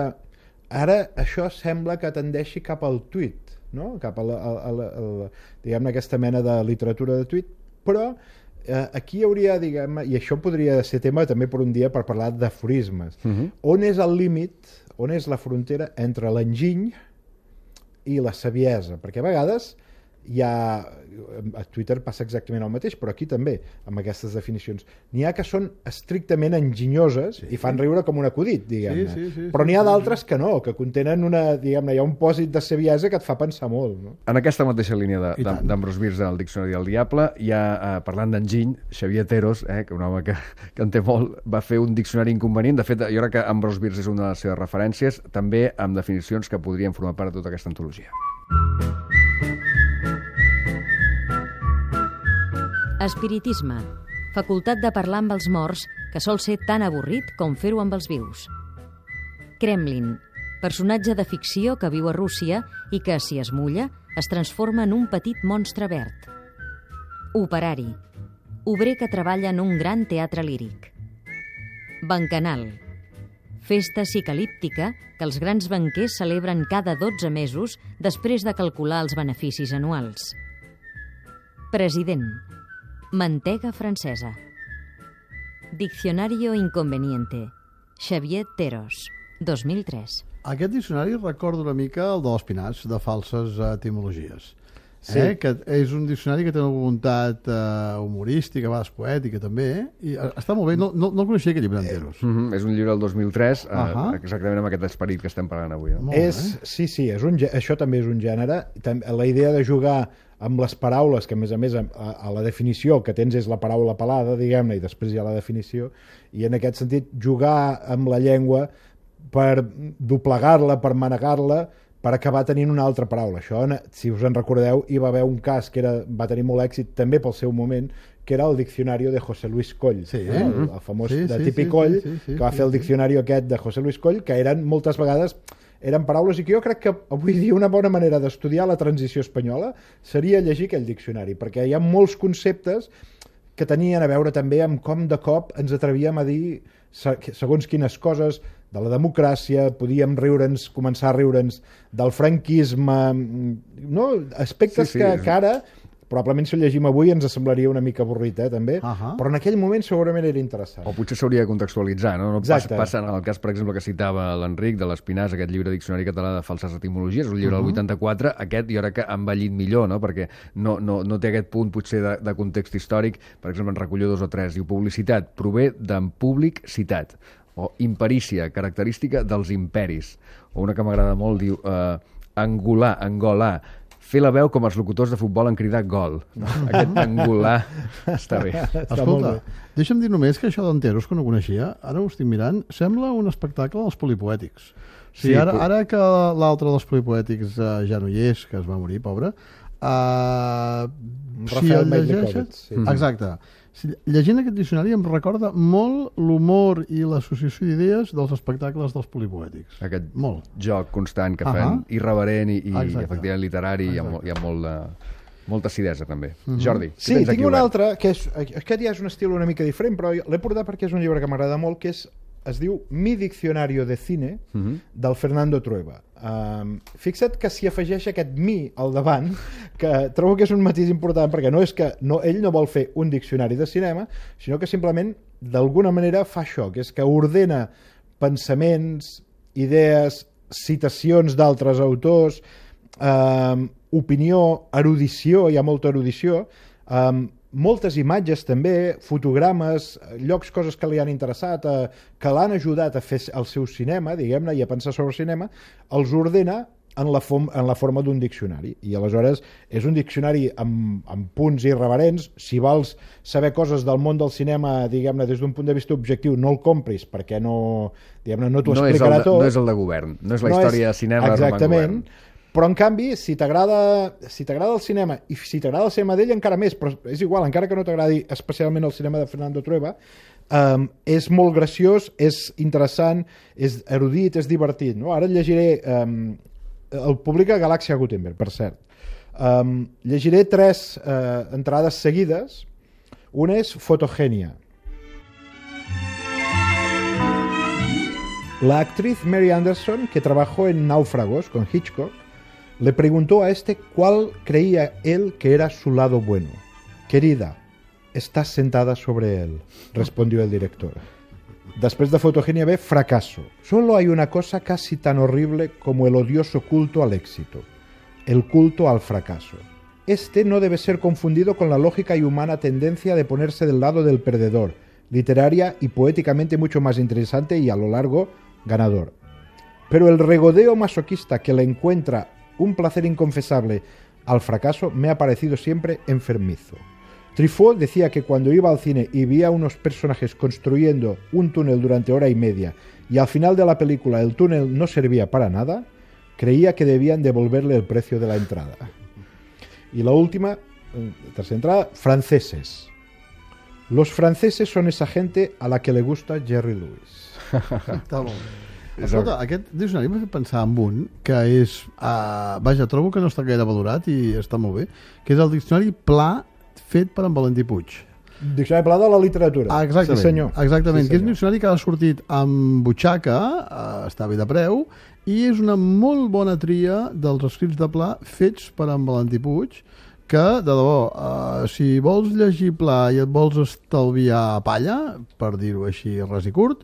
ara això sembla que tendeixi cap al tuit, no? Cap a, la, a, a, a, a diguem-ne, aquesta mena de literatura de tuit, però eh, aquí hi hauria, diguem-ne, i això podria ser tema també per un dia per parlar d'aforismes. Uh -huh. On és el límit, on és la frontera entre l'enginy i la saviesa? Perquè a vegades hi ha, a Twitter passa exactament el mateix, però aquí també, amb aquestes definicions. N'hi ha que són estrictament enginyoses sí. i fan riure com un acudit, diguem-ne. Sí, sí, sí, però n'hi ha sí, d'altres sí. que no, que contenen una, diguem-ne, hi ha un pòsit de saviesa que et fa pensar molt. No? En aquesta mateixa línia I tant. d'Ambrose Bierce al Diccionari del Diable, hi ha, eh, parlant d'enginy, Xavier Teros, eh, que un home que, que en té molt, va fer un diccionari inconvenient. De fet, jo crec que Ambrose Bierce és una de les seves referències, també amb definicions que podrien formar part de tota aquesta antologia. Espiritisme, facultat de parlar amb els morts que sol ser tan avorrit com fer-ho amb els vius. Kremlin, personatge de ficció que viu a Rússia i que, si es mulla, es transforma en un petit monstre verd. Operari, obrer que treballa en un gran teatre líric. Bancanal, festa psicalíptica que els grans banquers celebren cada dotze mesos després de calcular els beneficis anuals. President, mantega francesa. Diccionario inconveniente, Xavier Teros, dos mil tres. Aquest diccionari recorda una mica el de l'Espinacs, de falses etimologies. Sí. Eh? Que és un diccionari que té una voluntat eh, humorística, a vegades poètica també, eh? I eh, està molt bé, no, no, no coneixia aquest llibre enteros. Mm -hmm. És un llibre del dos mil tres, uh Ahà. -huh. exactament amb aquest esperit que estem parlant avui. No? Molt És, bé. sí, sí, és un, gè- això també és un gènere. Tam- La idea de jugar amb les paraules, que a més a més a, a la definició que tens és la paraula pelada, diguem-ne, i després hi ha la definició, i en aquest sentit jugar amb la llengua per doblegar-la, per manegar-la, per acabar tenint una altra paraula. Això, si us en recordeu, hi va haver un cas que era, va tenir molt èxit també pel seu moment, que era el diccionario de José Luis Coll, Sí. no? el, el famós Sí, de sí, Tipi sí, Coll, sí, sí, sí, que va sí, fer el sí. diccionari aquest de José Luis Coll, que eren moltes vegades eren paraules i que jo crec que avui dia una bona manera d'estudiar la transició espanyola seria llegir aquell diccionari, perquè hi ha molts conceptes que tenien a veure també amb com de cop ens atrevíem a dir segons quines coses de la democràcia, podíem riure'ns, començar a riure'ns del franquisme, no? Aspectes Sí, sí, que, és- que ara probablement si ho llegim avui ens semblaria una mica avorrit, eh, també, Ahà. però en aquell moment segurament era interessant. O potser s'hauria de contextualitzar, no? no passa, Exacte. passa en el cas, per exemple, que citava l'Enric de l'Espinàs, aquest llibre Diccionari Català de Falses Etimologies, un llibre del vuitanta-quatre, aquest jo crec que ha envellit millor, no? Perquè no, no, no té aquest punt potser de, de context històric, per exemple, en recullo dos o tres, diu publicitat, prové d'en públic citat, o imperícia, característica dels imperis, o una que m'agrada molt, diu eh, angolar, angolar, fer la veu com els locutors de futbol han cridat gol. No? Aquest angolar està bé. Està molt Escolta, bé. deixa'm dir només que això d'enteros, que no coneixia, ara ho estic mirant, sembla un espectacle dels polipoètics. O sigui, Sí, ara, però- ara que l'altre dels polipoètics eh, ja no hi és, que es va morir, pobre, eh, si Rafael el llegeixes... Meidlikovets, sí. Exacte. Si, llegint aquest diccionari em recorda molt l'humor i l'associació d'idees dels espectacles dels polipoètics. Aquest Molt. joc constant que Ahà. fan, irreverent i, i Exacte. efectivament literari, i hi ha, molt, hi ha molt de, molta acidesa també. Jordi, què Sí, tens tinc aquí un obert? altre, que és, aquest ja és un estil una mica diferent, però l'he portat perquè és un llibre que m'agrada molt, que és, es diu Mi diccionario de cine, Mhm. del Fernando Trueba. Um, fixa't que s'hi afegeix aquest mi al davant, que trobo que és un matís important, perquè no és que no, ell no vol fer un diccionari de cinema, sinó que simplement, d'alguna manera, fa això, que és que ordena pensaments, idees, citacions d'altres autors, um, opinió, erudició, hi ha molta erudició, um, moltes imatges també, fotogrames, llocs, coses que li han interessat, eh, que l'han ajudat a fer el seu cinema, diguem-ne, i a pensar sobre el cinema, els ordena en la, fom, en la forma d'un diccionari. I aleshores és un diccionari amb, amb punts irreverents. Si vols saber coses del món del cinema, diguem-ne, des d'un punt de vista objectiu, no el compris, perquè no, diguem-ne, no t'ho No és, el explicarà de, tot. no és el de govern, no és la No història és- de cinema de Roman exactament, Govern. però en canvi si t'agrada si t'agrada el cinema i si t'agrada el cinema d'ell encara més, però és igual, encara que no t'agradi especialment el cinema de Fernando Trueba, um, és molt graciós, és interessant, és erudit, és divertit, no? Ara et llegiré um, el publica Galàxia Gutenberg, per cert. Um, llegiré tres uh, entrades seguides. Una és Fotogenia. La actriz Mary Anderson, que trabajó en Náufragos con Hitchcock, le preguntó a este cuál creía él que era su lado bueno. Querida, estás sentada sobre él, respondió el director. Después de Fotogenia ve Fracaso. Solo hay una cosa casi tan horrible como el odioso culto al éxito, el culto al fracaso. Este no debe ser confundido con la lógica y humana tendencia de ponerse del lado del perdedor, literaria y poéticamente mucho más interesante y a lo largo ganador. Pero el regodeo masoquista que le encuentra un placer inconfesable al fracaso me ha parecido siempre enfermizo. Truffaut decía que cuando iba al cine y veía a unos personajes construyendo un túnel durante hora y media y al final de la película el túnel no servía para nada, creía que debían devolverle el precio de la entrada. Y la última, tercera entrada, franceses. Los franceses son esa gente a la que le gusta Jerry Lewis. Està molt bé. Escolta, aquest diccionari m'ha fet pensar en un que és... Uh, vaja, trobo que no està gaire valorat i està molt bé, que és el diccionari Pla fet per en Valentí Puig. Diccionari Pla de la literatura. Ah, exactament, sí, senyor. exactament Sí, que és un senyor. diccionari que ha sortit amb butxaca, uh, està bé de preu, i és una molt bona tria dels escrits de Pla fets per en Valentí Puig, que, de debò, uh, si vols llegir Pla i et vols estalviar palla, per dir-ho així ras i curt,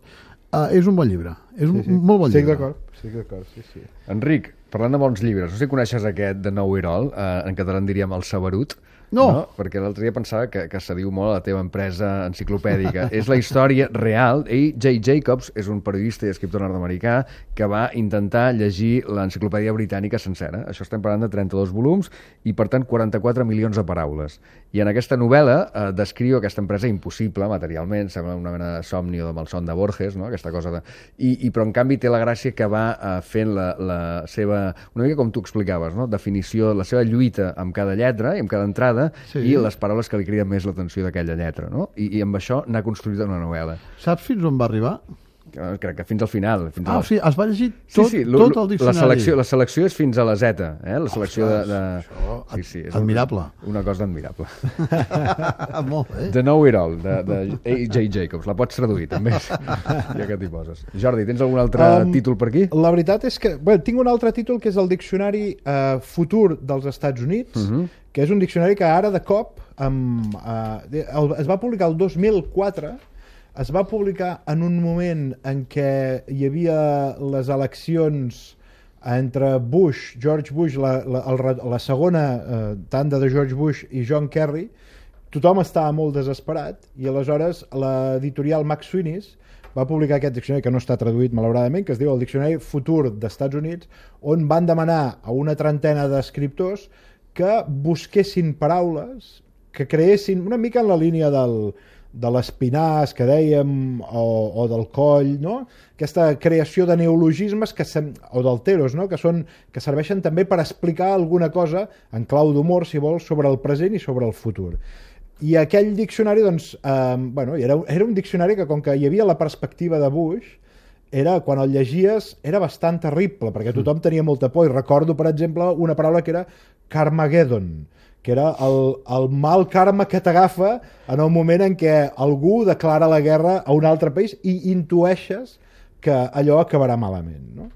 uh, és un bon llibre. És un Sí, sí. molt bon Estic llibre. d'acord, estic d'acord, sí, sí. Enric, parlant de bons llibres, no sé si coneixes aquest de Nou Irol, eh, en català en diríem El Saberut, No. no? Perquè l'altre dia pensava que, que se diu molt a la teva empresa enciclopèdica. És la història real. Ell, Jay Jacobs, és un periodista i escriptor nord-americà que va intentar llegir l'enciclopèdia britànica sencera. Això estem parlant de trenta-dos volums i, per tant, quaranta-quatre milions de paraules. I en aquesta novel·la eh, descriu aquesta empresa impossible materialment, sembla una mena de somni o de malson de Borges, no? Aquesta cosa de... I, i, però, en canvi, té la gràcia que va eh, fent la, la seva... Una mica com tu explicaves, no? Definició, la seva lluita amb cada lletra i amb cada entrada Sí. i les paraules que li criden més l'atenció d'aquella lletra, no? I, i amb això n'ha construït una novel·la. Saps fins on va arribar? Crec que fins al final. Fins Ah, a o sigui, es va llegir Sí, tot, sí, lo- tot el la diccionari. selecció, la selecció és fins a la Z, eh? La selecció Ostres, de... això, de... Sí, sí, és admirable. Una cosa admirable. Molt bé. The Know It All, de, de A J Jacobs. La pots traduir, també, ja que t'hi poses. Jordi, tens algun altre Um, títol per aquí? La veritat és que... Bé, tinc un altre títol que és el Diccionari eh, Futur dels Estats Units, uh -huh. que és un diccionari que ara de cop amb, eh, el, es va publicar el dos mil quatre, es va publicar en un moment en què hi havia les eleccions entre Bush, George Bush, la, la, el, la segona eh, tanda de George Bush i John Kerry. Tothom estava molt desesperat i aleshores l'editorial Max Sweeney's va publicar aquest diccionari que no està traduït malauradament, que es diu el Diccionari Futur d'Estats Units, on van demanar a una trentena d'escriptors que busquessin paraules que creessin una mica en la línia del, de l'espinàs que dèiem o, o del coll, no? Aquesta creació de neologismes que sem, o d'alteros, no? que, són, que serveixen també per explicar alguna cosa en clau d'humor, si vols, sobre el present i sobre el futur. I aquell diccionari, doncs, eh, bueno, era, era un diccionari que, com que hi havia la perspectiva de Bush, era, quan el llegies, era bastant terrible, perquè tothom tenia molta por. I recordo, per exemple, una paraula que era Carmageddon, que era el, el mal karma que t'agafa en el moment en què algú declara la guerra a un altre país i intueixes que allò acabarà malament. No?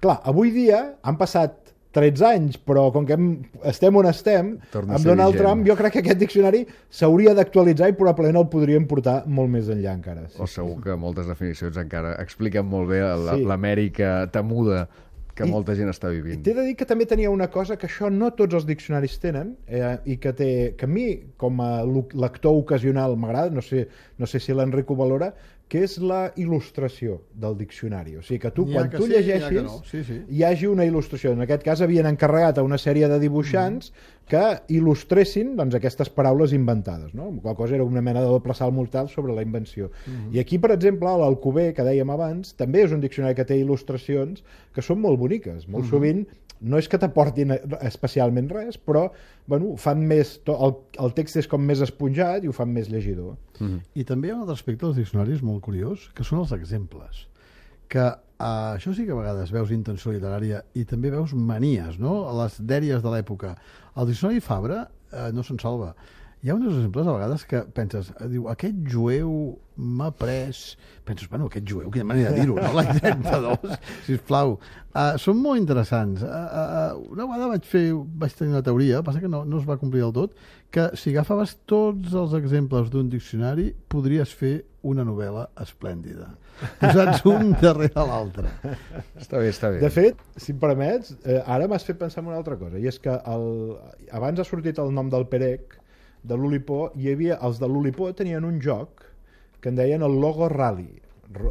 Clar, avui dia han passat tretze anys, però com que hem, estem on estem, Torna a amb ser Donald vigent. Trump, jo crec que aquest diccionari s'hauria d'actualitzar i probablement el podríem portar molt més enllà encara. Sí, O segur que moltes definicions encara expliquen molt bé la- Sí. l'Amèrica temuda que I- molta gent està vivint. T'he de dir que també tenia una cosa que això no tots els diccionaris tenen eh, i que, té, que a mi, com a lu- lector ocasional, m'agrada, no sé, no sé si l'Enric ho valora, que és la il·lustració del diccionari. O sigui, que tu, N'hi ha quan que tu sí, n'hi ha que llegeixis, no. Sí, sí. hi hagi una il·lustració. En aquest cas havien encarregat a una sèrie de dibuixants mm. que il·lustressin doncs, aquestes paraules inventades. No? La qual cosa era una mena de doble salt mortal sobre la invenció. Mm. I aquí, per exemple, l'Alcover, que dèiem abans, també és un diccionari que té il·lustracions que són molt boniques. Molt mm. sovint no és que t'aportin especialment res, però bueno, fan més, el, el text és com més esponjat i ho fan més llegidor. Mm-hmm. I també hi ha un altre aspecte dels diccionaris molt curiós, que són els exemples. Que uh, això sí que a vegades veus intenció literària i també veus manies, no? A les dèries de l'època. El diccionari Fabra uh, no se'n salva. Hi ha uns exemples a vegades que penses, diu, aquest jueu m'ha pres... Penses, bueno, aquest jueu, quina manera de dir-ho, no? L'any trenta-dos, sisplau. Uh, són molt interessants. Uh, uh, una vegada vaig fer, vaig tenir una teoria, passa que no, no es va complir del tot, que si agafaves tots els exemples d'un diccionari, podries fer una novel·la esplèndida. Posats un darrere l'altre. Està bé, està bé. De fet, si em permets, eh, ara m'has fet pensar en una altra cosa, i és que el, abans ha sortit el nom del Perec, de l'Olipó, hi havia, els de l'Olipó tenien un joc que en deien el logo rally,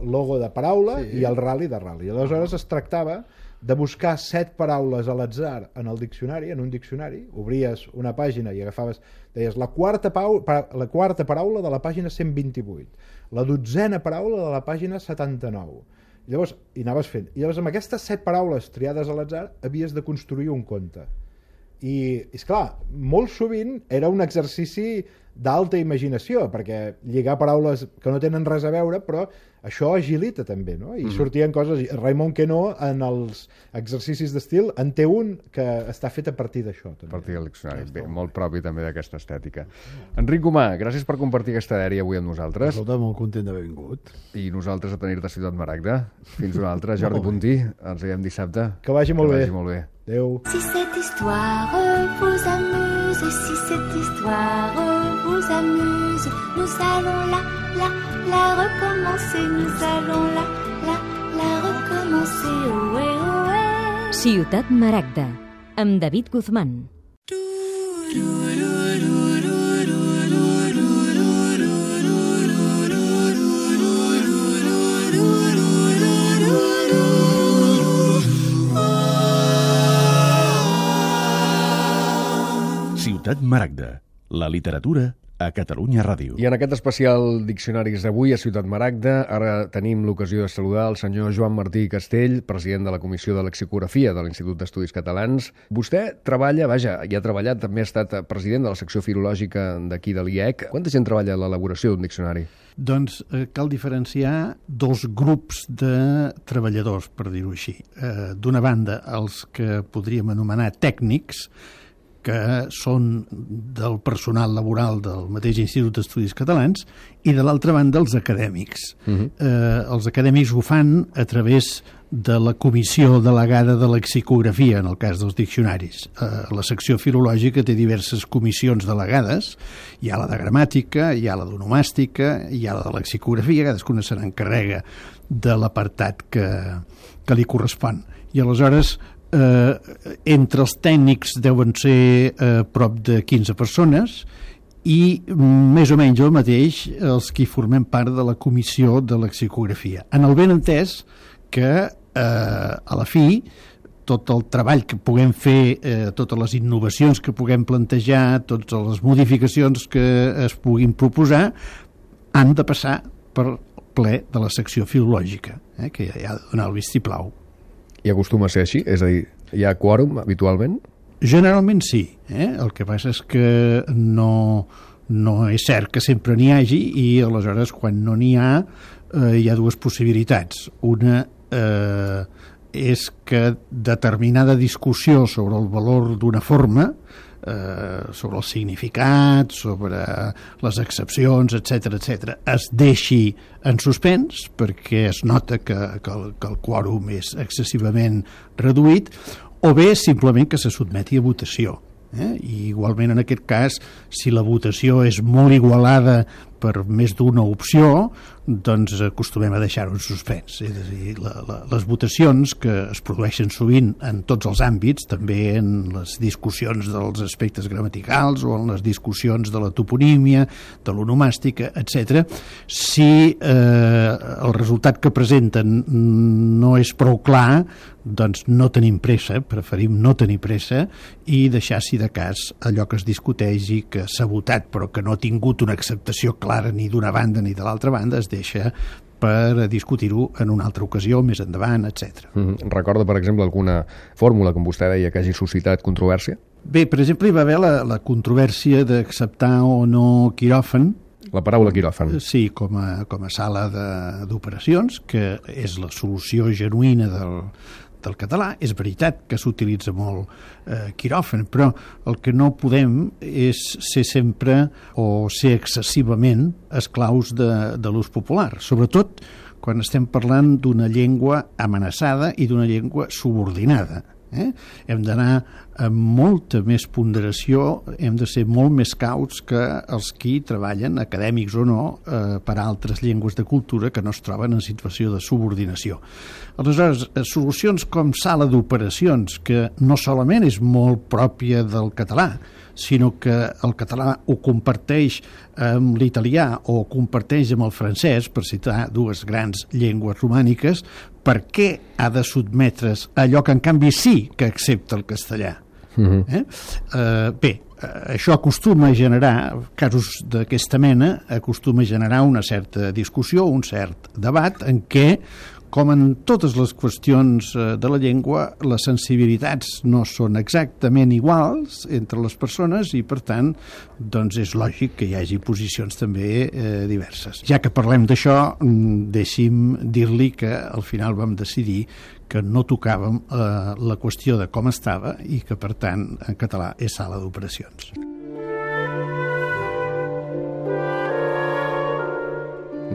logo de paraula Sí. i el rally de rally. Aleshores es tractava de buscar set paraules a l'atzar en el diccionari, en un diccionari, obries una pàgina i agafaves, deies la quarta, pau, pa, la quarta paraula de la pàgina cent vint-i-vuit, la dotzena paraula de la pàgina setanta-nou. Llavors, i anaves fent. I llavors amb aquestes set paraules triades a l'atzar havies de construir un conte. I, és clar, molt sovint era un exercici d'alta imaginació, perquè lligar paraules que no tenen res a veure, però això agilita també, no? I mm. sortien coses... Raimon Queneau, en els exercicis d'estil, en té un que està fet a partir d'això. A partir del diccionari. Bé, molt propi també d'aquesta estètica. Enric Gomà, gràcies per compartir aquesta dèria avui amb nosaltres. Escolta, molt content d'haver vingut. I nosaltres a tenir-te a Ciutat Maragda. Fins una altra. Jordi Puntí, ens veiem dissabte. Que vagi molt que bé. Vagi molt bé. Adéu. Si cette histoire vous amuse, si cette histoire vous amuse, nous allons la, la, la recommencer, nous allons la, la, la recommencer, ohé, ohé. Ciutat Maragda, amb David Guzmán. Ciutat Maragda, la literatura a Catalunya Ràdio. I en aquest especial Diccionaris d'avui a Ciutat Maragda ara tenim l'ocasió de saludar el senyor Joan Martí Castell, president de la Comissió de Lexicografia de l'Institut d'Estudis Catalans. Vostè treballa, vaja, i ha treballat, també ha estat president de la secció filològica d'aquí de l'I E C. Quanta gent treballa en l'elaboració d'un diccionari? Doncs eh, cal diferenciar dos grups de treballadors, per dir-ho així. Eh, D'una banda, els que podríem anomenar tècnics, que són del personal laboral del mateix Institut d'Estudis Catalans, i de l'altra banda els acadèmics. Uh-huh. eh, els acadèmics ho fan a través de la comissió delegada de lexicografia, en el cas dels diccionaris. Eh, la secció filològica té diverses comissions delegades, hi ha la de gramàtica, hi ha la d'onomàstica, hi ha la de lexicografia, cadascuna se n'encarrega de l'apartat que, que li correspon. I aleshores, Eh, entre els tècnics deuen ser eh, prop de quinze persones i més o menys el mateix els que formem part de la comissió de lexicografia. En el ben entès que eh, a la fi tot el treball que puguem fer, eh, totes les innovacions que puguem plantejar, totes les modificacions que es puguin proposar, han de passar per ple de la secció filològica, eh, que ha de donar el vistiplau. I acostuma a ser així? És a dir, hi ha quòrum habitualment? Generalment sí. Eh? El que passa és que no, no és cert que sempre n'hi hagi i aleshores quan no n'hi ha eh, hi ha dues possibilitats. Una eh, és que determinada discussió sobre el valor d'una forma, eh, sobre el significat, sobre les excepcions, etcètera, etcètera, es deixi en suspens perquè es nota que, que, el, que el quòrum és excessivament reduït, o bé simplement que se sotmeti a votació. Eh? I igualment en aquest cas, si la votació és molt igualada per més d'una opció, doncs acostumem a deixar-ho en suspens. És a dir, la, la, les votacions que es produeixen sovint en tots els àmbits, també en les discussions dels aspectes gramaticals o en les discussions de la toponímia, de l'onomàstica, etcètera, si eh, el resultat que presenten no és prou clar, doncs no tenim pressa, preferim no tenir pressa i deixar, si de cas, allò que es discuteix i que s'ha votat però que no ha tingut una acceptació clara ni d'una banda ni de l'altra banda, es deixa per discutir-ho en una altra ocasió, més endavant, etcètera. Mm-hmm. Recorda, per exemple, alguna fórmula, com vostè deia, que hagi suscitat controvèrsia? Bé, per exemple, hi va haver la, la controvèrsia d'acceptar o no quiròfan. La paraula quiròfan. Sí, com a, com a sala d'operacions, que és la solució genuïna del, del català. És veritat que s'utilitza molt eh, quiròfan, però el que no podem és ser sempre o ser excessivament esclaus de, de l'ús popular, sobretot quan estem parlant d'una llengua amenaçada i d'una llengua subordinada. Eh? Hem d'anar amb molta més ponderació, hem de ser molt més cauts que els qui treballen, acadèmics o no, eh, per a altres llengües de cultura que no es troben en situació de subordinació. Aleshores, solucions com sala d'operacions, que no solament és molt pròpia del català, sinó que el català ho comparteix amb l'italià o ho comparteix amb el francès, per citar dues grans llengües romàniques, per què ha de sotmetre's allò que en canvi sí que accepta el castellà? Uh-huh. eh? Uh, bé, això acostuma a generar, casos d'aquesta mena, acostuma a generar una certa discussió, un cert debat en què, com en totes les qüestions de la llengua, les sensibilitats no són exactament iguals entre les persones i, per tant, doncs és lògic que hi hagi posicions també eh, diverses. Ja que parlem d'això, deixi'm dir-li que al final vam decidir que no tocàvem eh, la qüestió de com estava i que, per tant, en català és sala d'operacions.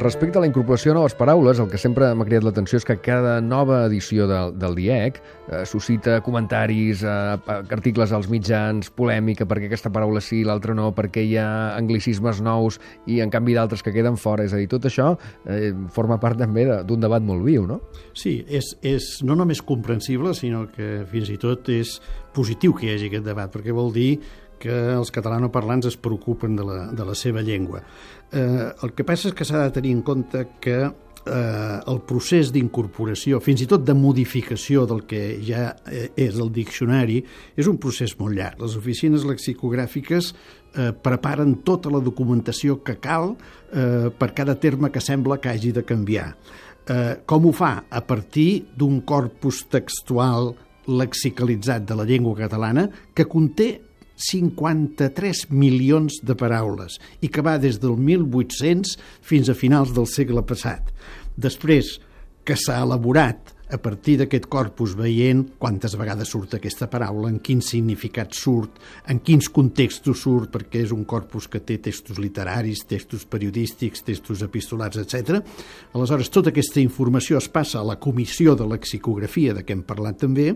Respecte a la incorporació de noves paraules, el que sempre m'ha cridat l'atenció és que cada nova edició del, del D I E C eh, suscita comentaris, eh, articles als mitjans, polèmica, perquè aquesta paraula sí, l'altra no, perquè hi ha anglicismes nous i, en canvi, d'altres que queden fora. És a dir, tot això eh, forma part també d'un debat molt viu, no? Sí, és, és no només comprensible, sinó que fins i tot és positiu que hi hagi aquest debat, perquè vol dir que els catalanoparlants es preocupen de la, de la seva llengua. Eh, el que passa és que s'ha de tenir en compte que eh, el procés d'incorporació, fins i tot de modificació del que ja eh, és el diccionari, és un procés molt llarg. Les oficines lexicogràfiques eh, preparen tota la documentació que cal eh, per cada terme que sembla que hagi de canviar. Eh, com ho fa? A partir d'un corpus textual lexicalitzat de la llengua catalana que conté cinquanta-tres milions de paraules i que va des del mil vuit-cents fins a finals del segle passat. Després que s'ha elaborat a partir d'aquest corpus veient quantes vegades surt aquesta paraula, en quin significat surt, en quins contextos surt, perquè és un corpus que té textos literaris, textos periodístics, textos epistolars, etcètera. Aleshores, tota aquesta informació es passa a la comissió de lexicografia, de què hem parlat també.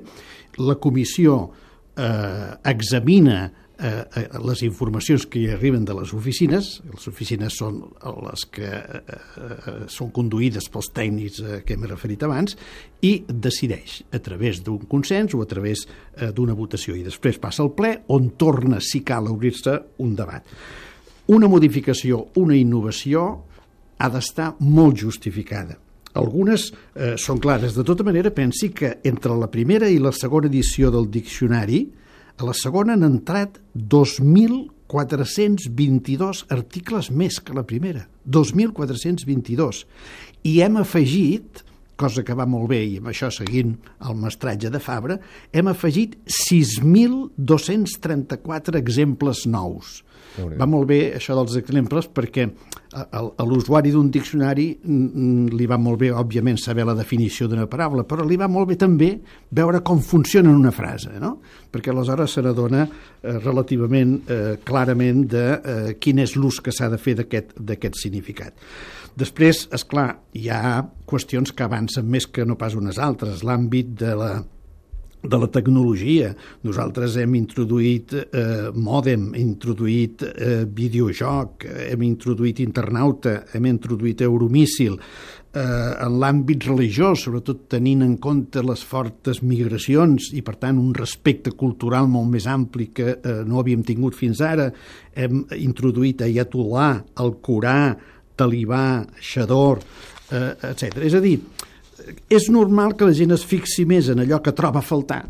La comissió Eh, examina eh, les informacions que hi arriben de les oficines. Les oficines són les que eh, són conduïdes pels tècnics eh, que hem referit abans i decideix a través d'un consens o a través eh, d'una votació i després passa al ple on torna, si cal, a obrir-se un debat. Una modificació, una innovació ha d'estar molt justificada. Algunes eh, són clares. De tota manera, pensi que entre la primera i la segona edició del diccionari, a la segona han entrat dos mil quatre-cents vint-i-dos articles més que la primera. dos mil quatre-cents vint-i-dos. I hem afegit, cosa que va molt bé, i amb això seguint el mestratge de Fabra, hem afegit sis mil dos-cents trenta-quatre exemples nous. Va molt bé això dels exemples perquè a, a l'usuari d'un diccionari li va molt bé, òbviament, saber la definició d'una paraula, però li va molt bé també veure com funciona una frase, no? Perquè aleshores se n'adona eh, relativament eh, clarament de eh, quin és l'ús que s'ha de fer d'aquest significat. Després, és clar, hi ha qüestions que avancen més que no pas unes altres. L'àmbit de la de la tecnologia. Nosaltres hem introduït eh, mòdem, hem introduït eh, videojoc, hem introduït internauta, hem introduït euromíssil. Eh, en l'àmbit religiós, sobretot tenint en compte les fortes migracions i, per tant, un respecte cultural molt més ampli que eh, no havíem tingut fins ara, hem introduït Ayatollah, el Corà, Talibà, Xador, eh, etcètera. És a dir, és normal que la gent es fixi més en allò que troba a faltar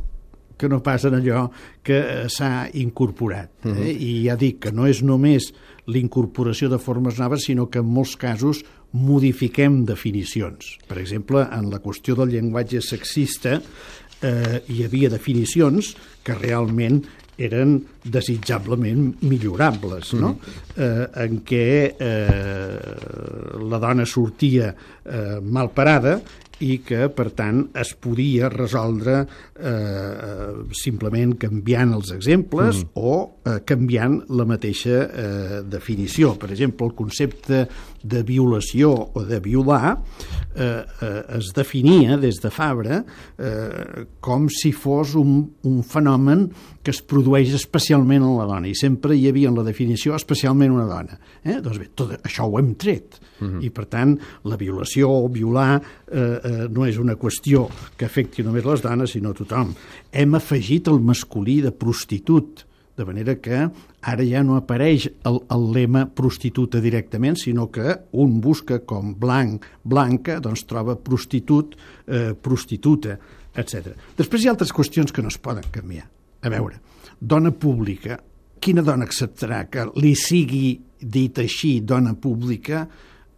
que no pas en allò que s'ha incorporat. Eh? Uh-huh. I ja dic que no és només l'incorporació de formes noves, sinó que en molts casos modifiquem definicions. Per exemple, en la qüestió del llenguatge sexista eh, hi havia definicions que realment eren desitjablement millorables, no? Mm. Eh, en què eh, la dona sortia eh, mal parada i que, per tant, es podia resoldre eh, simplement canviant els exemples mm. o eh, canviant la mateixa eh, definició. Per exemple, el concepte de violació o de violar eh, eh, es definia des de Fabra eh, com si fos un, un fenomen que es produeix especialment en la dona, i sempre hi havia en la definició especialment una dona. Eh? Doncs bé, tot això ho hem tret. Uh-huh. I, per tant, la violació o violar eh, eh, no és una qüestió que afecti només les dones, sinó a tothom. Hem afegit el masculí de prostitut, de manera que ara ja no apareix el, el lema prostituta directament, sinó que un busca com blanc, blanca, doncs troba prostitut, eh, prostituta, etcètera. Després hi ha altres qüestions que no es poden canviar. A veure, dona pública, quina dona acceptarà que li sigui dit així dona pública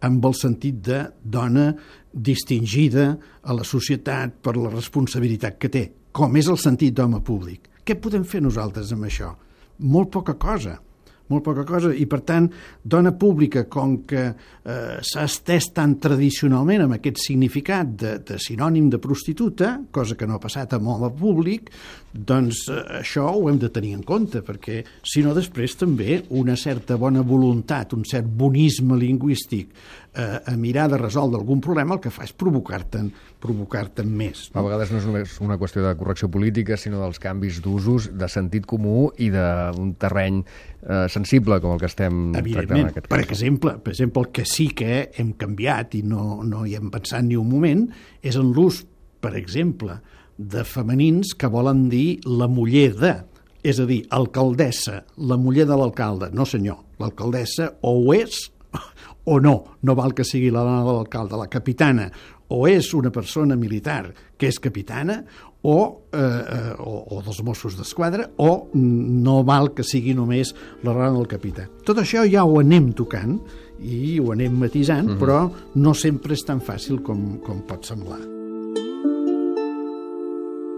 amb el sentit de dona distingida a la societat per la responsabilitat que té, com és el sentit d'home públic. Què podem fer nosaltres amb això? Molt poca cosa. molt poca cosa, i per tant dona pública, com que eh, s'ha estès tan tradicionalment amb aquest significat de, de sinònim de prostituta, cosa que no ha passat amb home públic, doncs eh, això ho hem de tenir en compte, perquè si no després també una certa bona voluntat, un cert bonisme lingüístic eh, a mirar de resoldre algun problema, el que fa és provocar-te'n provocar-te'n més. A vegades no és només una qüestió de correcció política, sinó dels canvis d'usos, de sentit comú i d'un terreny eh, sensible com el que estem tractant en aquest cas. Per exemple, per exemple, el que sí que hem canviat i no, no hi hem pensat ni un moment és en l'ús, per exemple, de femenins que volen dir la muller de, és a dir, alcaldessa, la muller de l'alcalde. No senyor, l'alcaldessa o ho és o no, no val que sigui la dona de l'alcalde, la capitana, o és una persona militar que és capitana o, eh, o, o dels Mossos d'Esquadra, o no val que sigui només la dona del capità. Tot això ja ho anem tocant i ho anem matisant, mm-hmm. però no sempre és tan fàcil com, com pot semblar.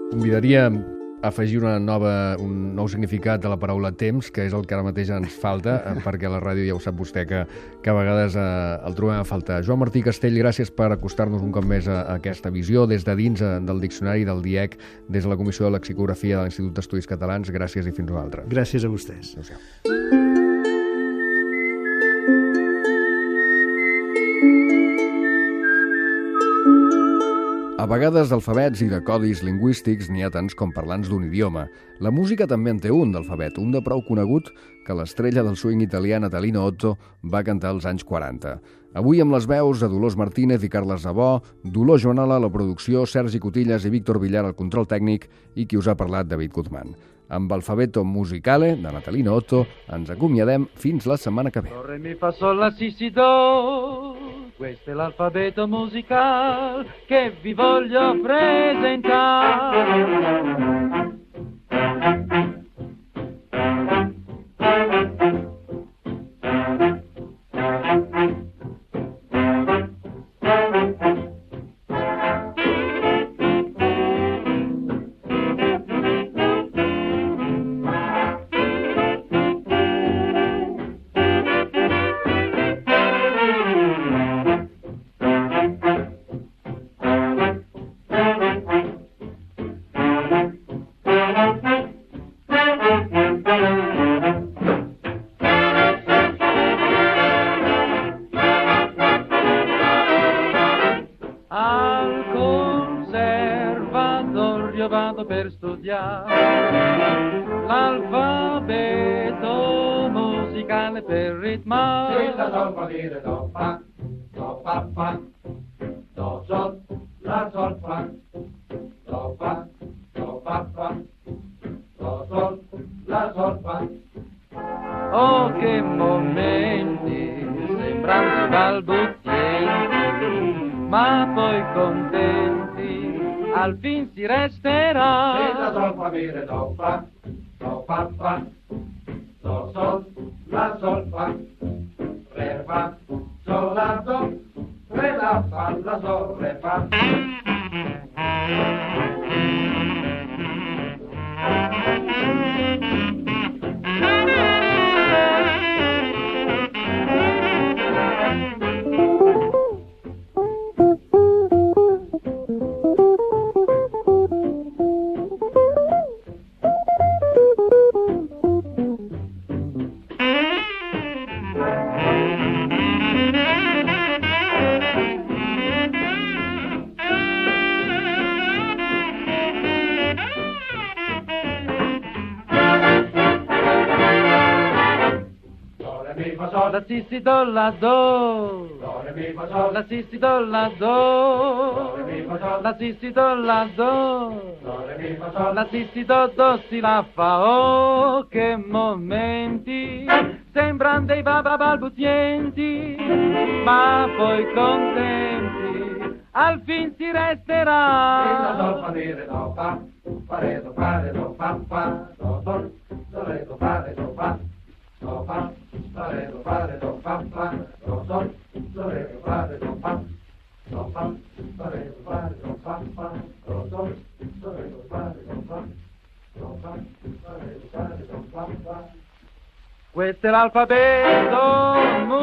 Convidaria a afegir una nova, un nou significat de la paraula temps, que és el que ara mateix ens falta, perquè a la ràdio ja ho sap vostè que, que a vegades eh, el trobem a faltar. Joan Martí Castell, gràcies per acostar-nos un cop més a, a aquesta visió des de dins eh, del diccionari del D I E C, des de la Comissió de Lexicografia de l'Institut d'Estudis Catalans. Gràcies i fins una altra. Gràcies a vostès. Adéu-siau. A vegades d'alfabets i de codis lingüístics n'hi ha tants com parlants d'un idioma. La música també en té un d'alfabet, un de prou conegut que l'estrella del swing italià Natalino Otto va cantar als anys quaranta. Avui amb les veus de Dolors Martínez i Carles Zabó, Dolors Joanola a la producció, Sergi Cotillas i Víctor Villar al control tècnic i qui us ha parlat, David Guzmán. Amb Alfabeto Musicale de Natalino Otto ens acomiadem fins la setmana que ve. Do, re, mi, fa, sol, la, si, si, do. Questo è l'alfabeto musicale che vi voglio presentare. Vado per studiare l'alfabeto musicale per ritmare. La sol fa dire do fa, do fa fa, do sol, la sol fa, do fa, do fa fa, do sol, la sol fa. Oh, che momenti sembranti balbuzienti, ma poi contenti al fin si resterà. Se la sol fa dire do fa, do fa fa, do sol, la sol fa, re fa, sol la do, re la fa, la sol re fa. La si si do la do, la si si do la do, la si si do la do, la si si do do si la fa. Oh, che momenti sembran dei baba balbuzienti, ma poi contenti al fin si resterà. Se la sol fa dire do fa, fa re do fa re do fa fa, do sol, do re do fa re do fa, do fa, fa re do fa re do fa fa, do sol, do re do Questo è l'alfabeto